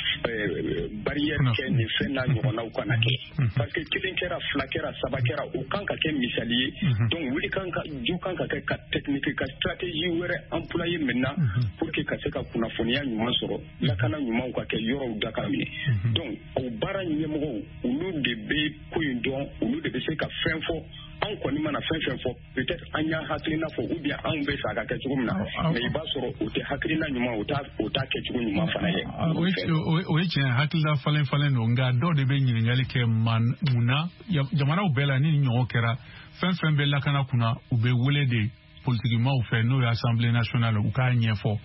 barrière kɛ nin fɛn n'a ɲɔgɔnnaw kana kɛ. Parce que kelen kɛra, fila kɛra, saba kɛra, o kan ka kɛ misali ye. Donc wuli kan ka jɔ kan ka kɛ ka technique ka stratégie wɛrɛ employer maintenant pour que ka se ka kunnafoniya ɲuman sɔrɔ, lakana ɲumanw ka kɛ yɔrɔw da ka minɛ. Donc o baara ɲɛmɔgɔw olu de bɛ ko in dɔn, olu de bɛ se ka fɛn fɔ. Anw kɔni mana fɛn fɛn fɔ, peut-être an y'a hakilina fɔ ou bien anw bɛ fɛ a ka kɛ cogo min na, mais i b'a sɔrɔ o tɛ hakilina ɲuman, o t'a kɛcogo ɲuman fana ye. O ye tiɲɛ, hakilina falen falen don, nka dɔw de bɛ ɲininkali kɛ mun na jamanaw bɛɛ la ni ɲɔgɔn kɛra, fɛn fɛn bɛ lakana kunna, u bɛ wele de politikimaw fɛ n'o ye Assemblée nationale, u k'a ɲɛfɔ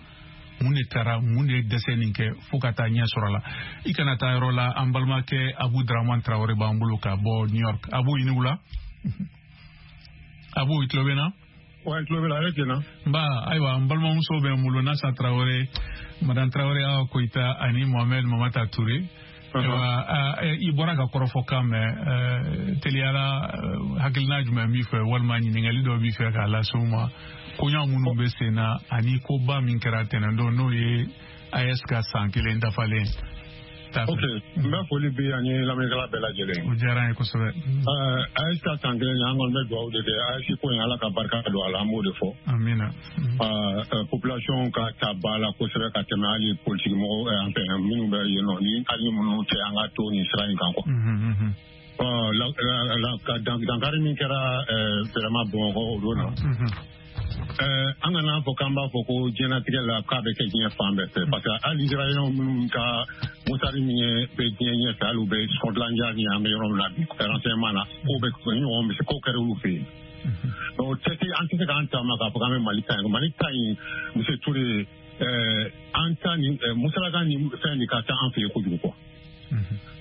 mun de taara, mun de dɛsɛ nin kɛ fo ka taa ɲɛ sɔrɔ a la. I kana taa yɔrɔ la, an balimakɛ Abu Dramane Traoré b'an bolo ka bɔ New York. Abu, i ni wula. Abu, i tulo bɛ na? Wa, tulo bɛ la, ale tiɲɛna. Nba, ayiwa, n balimamuso bɛ n bolo, Nasa Traoré, Madame Traoré Awa Koyita ani Mohamed Mamata Touré. Ayiwa, i bɔra ka kɔrɔfɔ kan mɛn, teliyala hakilina jumɛn b'i fɛ walima ɲininkali dɔ b'i fɛ k'a lase u ma koɲa minnu bɛ sen na ani koba min kɛra tɛnɛndon n'o ye AES ka san kelen dafalen. Ok, n bɛ foli bi ani lamɛnnikɛla bɛɛ lajɛlen. O diyara an ye kosɛbɛ. AES ka san kelen an kɔni bɛ dugawu de kɛ AES ko in Ala ka barika don a la, an b'o de fɔ. Amina. Population ka ta ba la kosɛbɛ ka tɛmɛ hali politique mɔgɔw enfin minnu bɛ yen nɔ ni hali minnu tɛ an ka to nin sira in kan quoi. Dankari min kɛra vraiment Bamakɔ o don na. An kana fɔ k'an b'a fɔ ko diɲɛlatigɛ la k'a bɛ kɛ diɲɛ fan bɛɛ fɛ, parce que hali Israɛlɛnw minnu ka motari min ye bɛ diɲɛ ɲɛfɛ, hali u bɛ Scotland Yard ni an bɛ yɔrɔ min na bi renseignement na, k'o bɛ ɲɔgɔn bɛ se k'o kɛra olu fɛ yen. Donc an tɛ se k'an taama k'a fɔ k'an bɛ Mali ta yen. Mali ta in Monsieur Touré, an ta ni musalaka ni fɛn nin ka ca an fɛ yen kojugu quoi.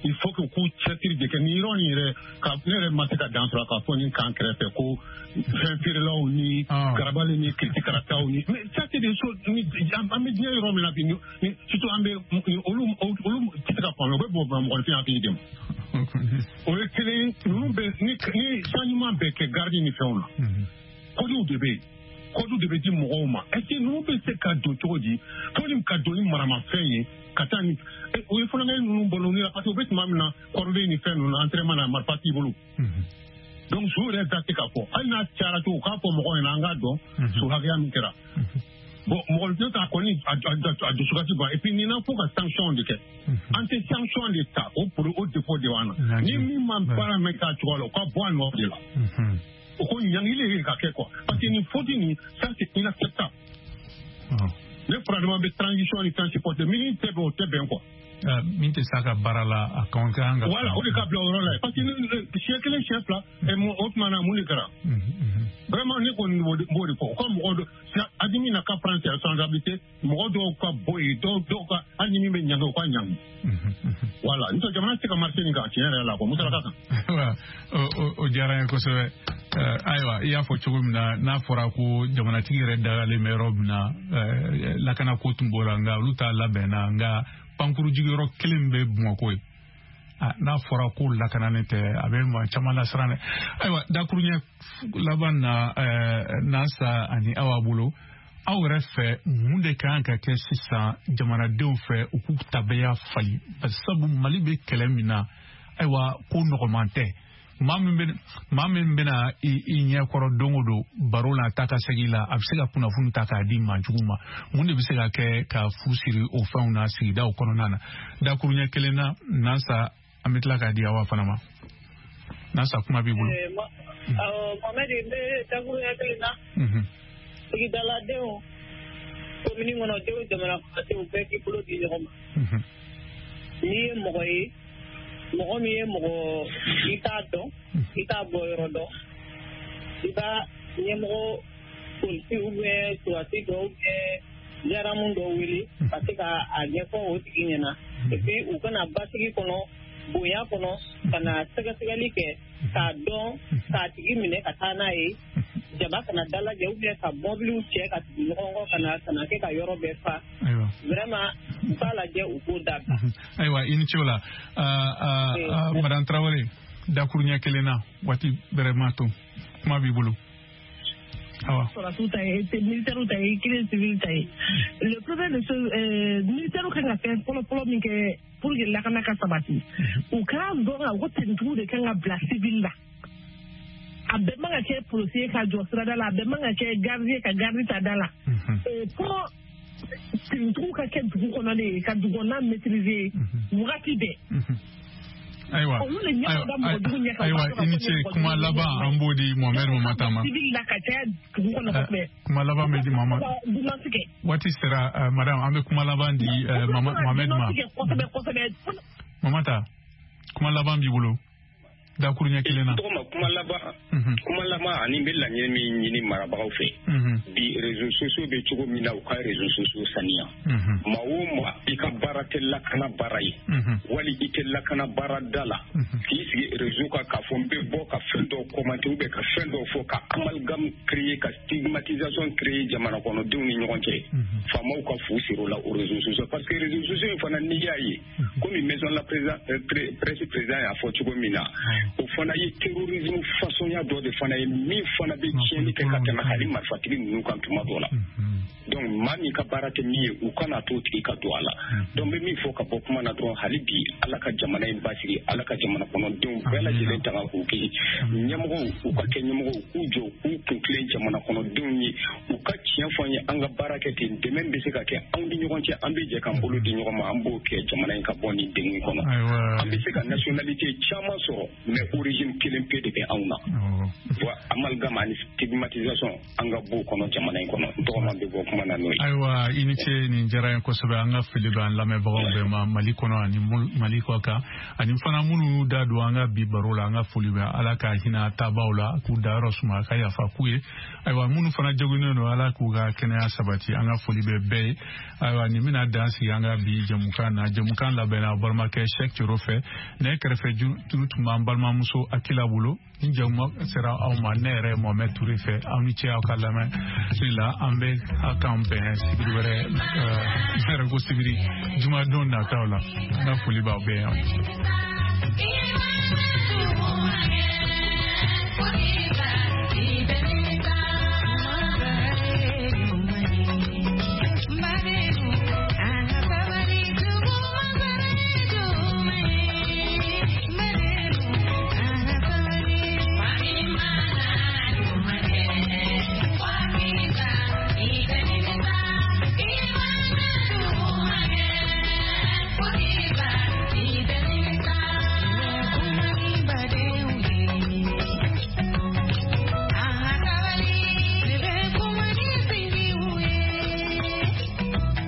Il faut que k'u cɛsiri de kɛ nin yɔrɔ nin yɛrɛ ka ne yɛrɛ ma se ka dan sɔrɔ k'a fɔ nin kan kɛrɛfɛ ko fɛn feerelaw ni garabali ni kiritikarataw ni mais ça c'est des choses ni an bɛ diɲɛ yɔrɔ min na bi, surtout an bɛ olu tɛ se ka faamuya, u bɛ bɔ mɔgɔninfin hakili de ma. O ye kelen, ninnu bɛ ni changement bɛ kɛ garde ni fɛnw na, kodiw de bɛ yen, kodiw de bɛ di mɔgɔw ma. Est-ce que ninnu bɛ se ka don cogo di fo ni ka don ni maramafɛn ye ka taa ni o ye fɔlɔnkɛ ninnu bolo ni la, parce que u bɛ tuma min na kɔrɔlen ni fɛn ninnu na entraînement na marifa t'i bolo. Donc so yɛrɛ da tɛ ka fɔ, hali n'a cayara cogo k'a fɔ mɔgɔw ɲɛna an k'a dɔn so hakɛya min kɛra. Bon mɔgɔninfin ta kɔni a dusukasi ban, et puis nin na fo ka sanction de kɛ. An tɛ sanction de ta o pour o défaut de b'an na. Ni min ma baara mɛn k'a cogoya la, o ka bɔ a nɔ de la. O ko ɲangili de ka kɛ quoi, parce que nin faute nin ça c'est inacceptable. Ne furadama bɛ transition ni fɛn supporter min tɛ bɛn o tɛ bɛn quoi. Min tɛ s'a ka baara la a kan ka. Voilà o de ka bila o yɔrɔ la parce que siɲɛ kelen siɲɛ fila o tuma na mun de kɛra. Vraiment ne kɔni b'o de fɔ o ka mɔgɔ dɔ Adimi n'a ka prendre ses responsabilités mɔgɔ dɔw ka bɔ yen dɔw ka hali ni min bɛ ɲangi o ka ɲangi. Voilà n'o tɛ jamana tɛ se ka marcher nin kan tiɲɛ yɛrɛ la quoi musalaka kan. O diyara n ye kosɛbɛ. Ayiwa i y'a fɔ cogo min na n'a fɔra ko jamanatigi yɛrɛ dagalen bɛ yɔrɔ min na lakanako tun b'o la nka olu t'a labɛnna nka pankuru jigiyɔrɔ kelen bɛ Bamakɔ ye. N'a fɔra ko lakananen tɛ a bɛ maa caman lasiran dɛ. Ayiwa dakuruɲɛ laban na Nansa ani Awa bolo aw yɛrɛ fɛ mun de kan ka kɛ sisan jamanadenw fɛ u k'u tabiya falen sabu Mali bɛ kɛlɛ min na ayiwa ko nɔgɔman tɛ. Maa min bɛna i ɲɛkɔrɔ don o don baro la taa ka segin la a bɛ se ka kunnafoni ta k'a di maa jugu ma mun de bɛ se ka kɛ ka fu siri o fɛnw na sigidaw kɔnɔna na dakuruɲɛ kelen na Nansa an bɛ tila k'a di Awa fana ma Nansa kuma b'i bolo. Mohamed n bɛ dakuruɲɛ kelen na. Sigidaladenw komini kɔnɔdenw jamana kɔnɔdenw bɛɛ k'i bolo di ɲɔgɔn ma. N'i ye mɔgɔ ye mɔgɔ min ye mɔgɔ i t'a dɔn i t'a bɔ yɔrɔ dɔn i b'a ɲɛmɔgɔ polisi ou bien surasi dɔ ou bien gendarme dɔ wele ka se ka a ɲɛfɔ o tigi ɲɛna et puis u kana basigi kɔnɔ bonya kɔnɔ ka na sɛgɛsɛgɛli kɛ k'a dɔn k'a tigi minɛ ka taa n'a ye jaba kana dalajɛ ou bien ka mɔbiliw cɛ ka tugu ɲɔgɔn kɔ ka na kɛ ka yɔrɔ bɛɛ fa. Vraiment u k'a lajɛ u k'o dabila. Ayiwa i ni ce o la Madame Traoré dakuruɲɛ kelen na waati bɛrɛ ma to kuma b'i bolo. Awa. Sɔrɔdasiw ta ye militaires ta ye kelen civil ta ye. Le problème de ce militaires kan ka fɛn fɔlɔ fɔlɔ min kɛ pour que lakana ka sabati u k'a dɔn ka ko tenitigiw de kan ka bila civil la. A bɛɛ man ka kɛ policier ka jɔ sirada la a bɛɛ man ka kɛ gardien ka garde ta da la. Fo tenitigiw ka kɛ dugu kɔnɔ de ka dugu kɔnɔna maîtriser wagati bɛɛ. Ayiwa ayiwa i ni ce kuma laban an b'o di Mohamed Mamata ma. Kuma laban bɛ di Mohamed. Waati sera madame an bɛ kuma laban di Mohamed ma. Mamata kuma laban b'i bolo. Dakuruɲɛ kelen na. Tɔgɔma kuma laban ani n bɛ laɲini min ɲini marabagaw fɛ. Bi réseaux sociaux bɛ cogo min na u ka réseaux sociaux saniya. Maa o maa i ka baara tɛ lakana baara ye. Wali i tɛ lakana baara da la. K'i sigi réseau kan k'a fɔ n bɛ bɔ ka fɛn dɔw commenter ou bien ka fɛn dɔw fɔ ka amalgame créer ka stigmatisation créer jamana kɔnɔdenw ni ɲɔgɔn cɛ. Faamaw ka fu siri o la o réseaux sociaux parce que réseaux sociaux in fana n'i y'a ye komi maison la presse président y'a fɔ cogo min na. O fana ye terrorisme façonnya dɔ de fana ye min fana bɛ tiɲɛni kɛ ka tɛmɛ hali marifatigi ninnu kan tuma dɔ la. Donc maa min ka baara tɛ min ye u kana t'o tigi ka don a la. Donc n bɛ min fɔ ka bɔ kuma na dɔrɔn hali bi Ala ka jamana in basigi Ala ka jamana kɔnɔdenw bɛɛ lajɛlen tanga k'u kisi ɲɛmɔgɔw u ka kɛ ɲɛmɔgɔw k'u jɔ k'u kun tilen jamana kɔnɔdenw ye u ka tiɲɛ fɔ an ye an ka baara kɛ ten dɛmɛ bɛ se ka kɛ anw ni ɲɔgɔn cɛ an bɛ jɛ k'an bolo di ɲɔgɔn ma an b'o kɛ jamana in ka bɔ nin degun kɔnɔ. An bɛ se ka nationalité caman sɔrɔ mais origine kelen pe de bɛ anw na. Wa amalgame ani stigmatisation an ka b'o kɔnɔ jamana in kɔnɔ n tɔgɔma bɛ bɔ kuma na n'o ye. Ayiwa i ni ce nin diyara n ye kosɛbɛ an ka foli bɛ an lamɛnbagaw bɛɛ ma Mali kɔnɔ ani Mali kɔ kan ani fana minnu y'u da don an ka bi baro la an ka foli bɛ Ala ka hinɛ taabaaw la k'u dayɔrɔ suma ka yafa k'u ye ayiwa minnu fana joginnen don Ala k'u ka kɛnɛya sabati an ka foli bɛ bɛɛ ye ayiwa nin bɛna dan sigi an ka bi jɛmukan na jɛmukan labɛnna balimakɛ Cheikh Thioro fɛ ne kɛrɛfɛ juru tun b'an balimamuso Akila bolo ni jɛmu sera aw ma ne yɛrɛ Mohamed Touré fɛ aw ni ce aw ka lamɛn la an bɛ aw k'an bɛn sibiri wɛrɛ ne yɛrɛ ko sibiri jumadon nataw la an ka foli b'aw bɛɛ ye.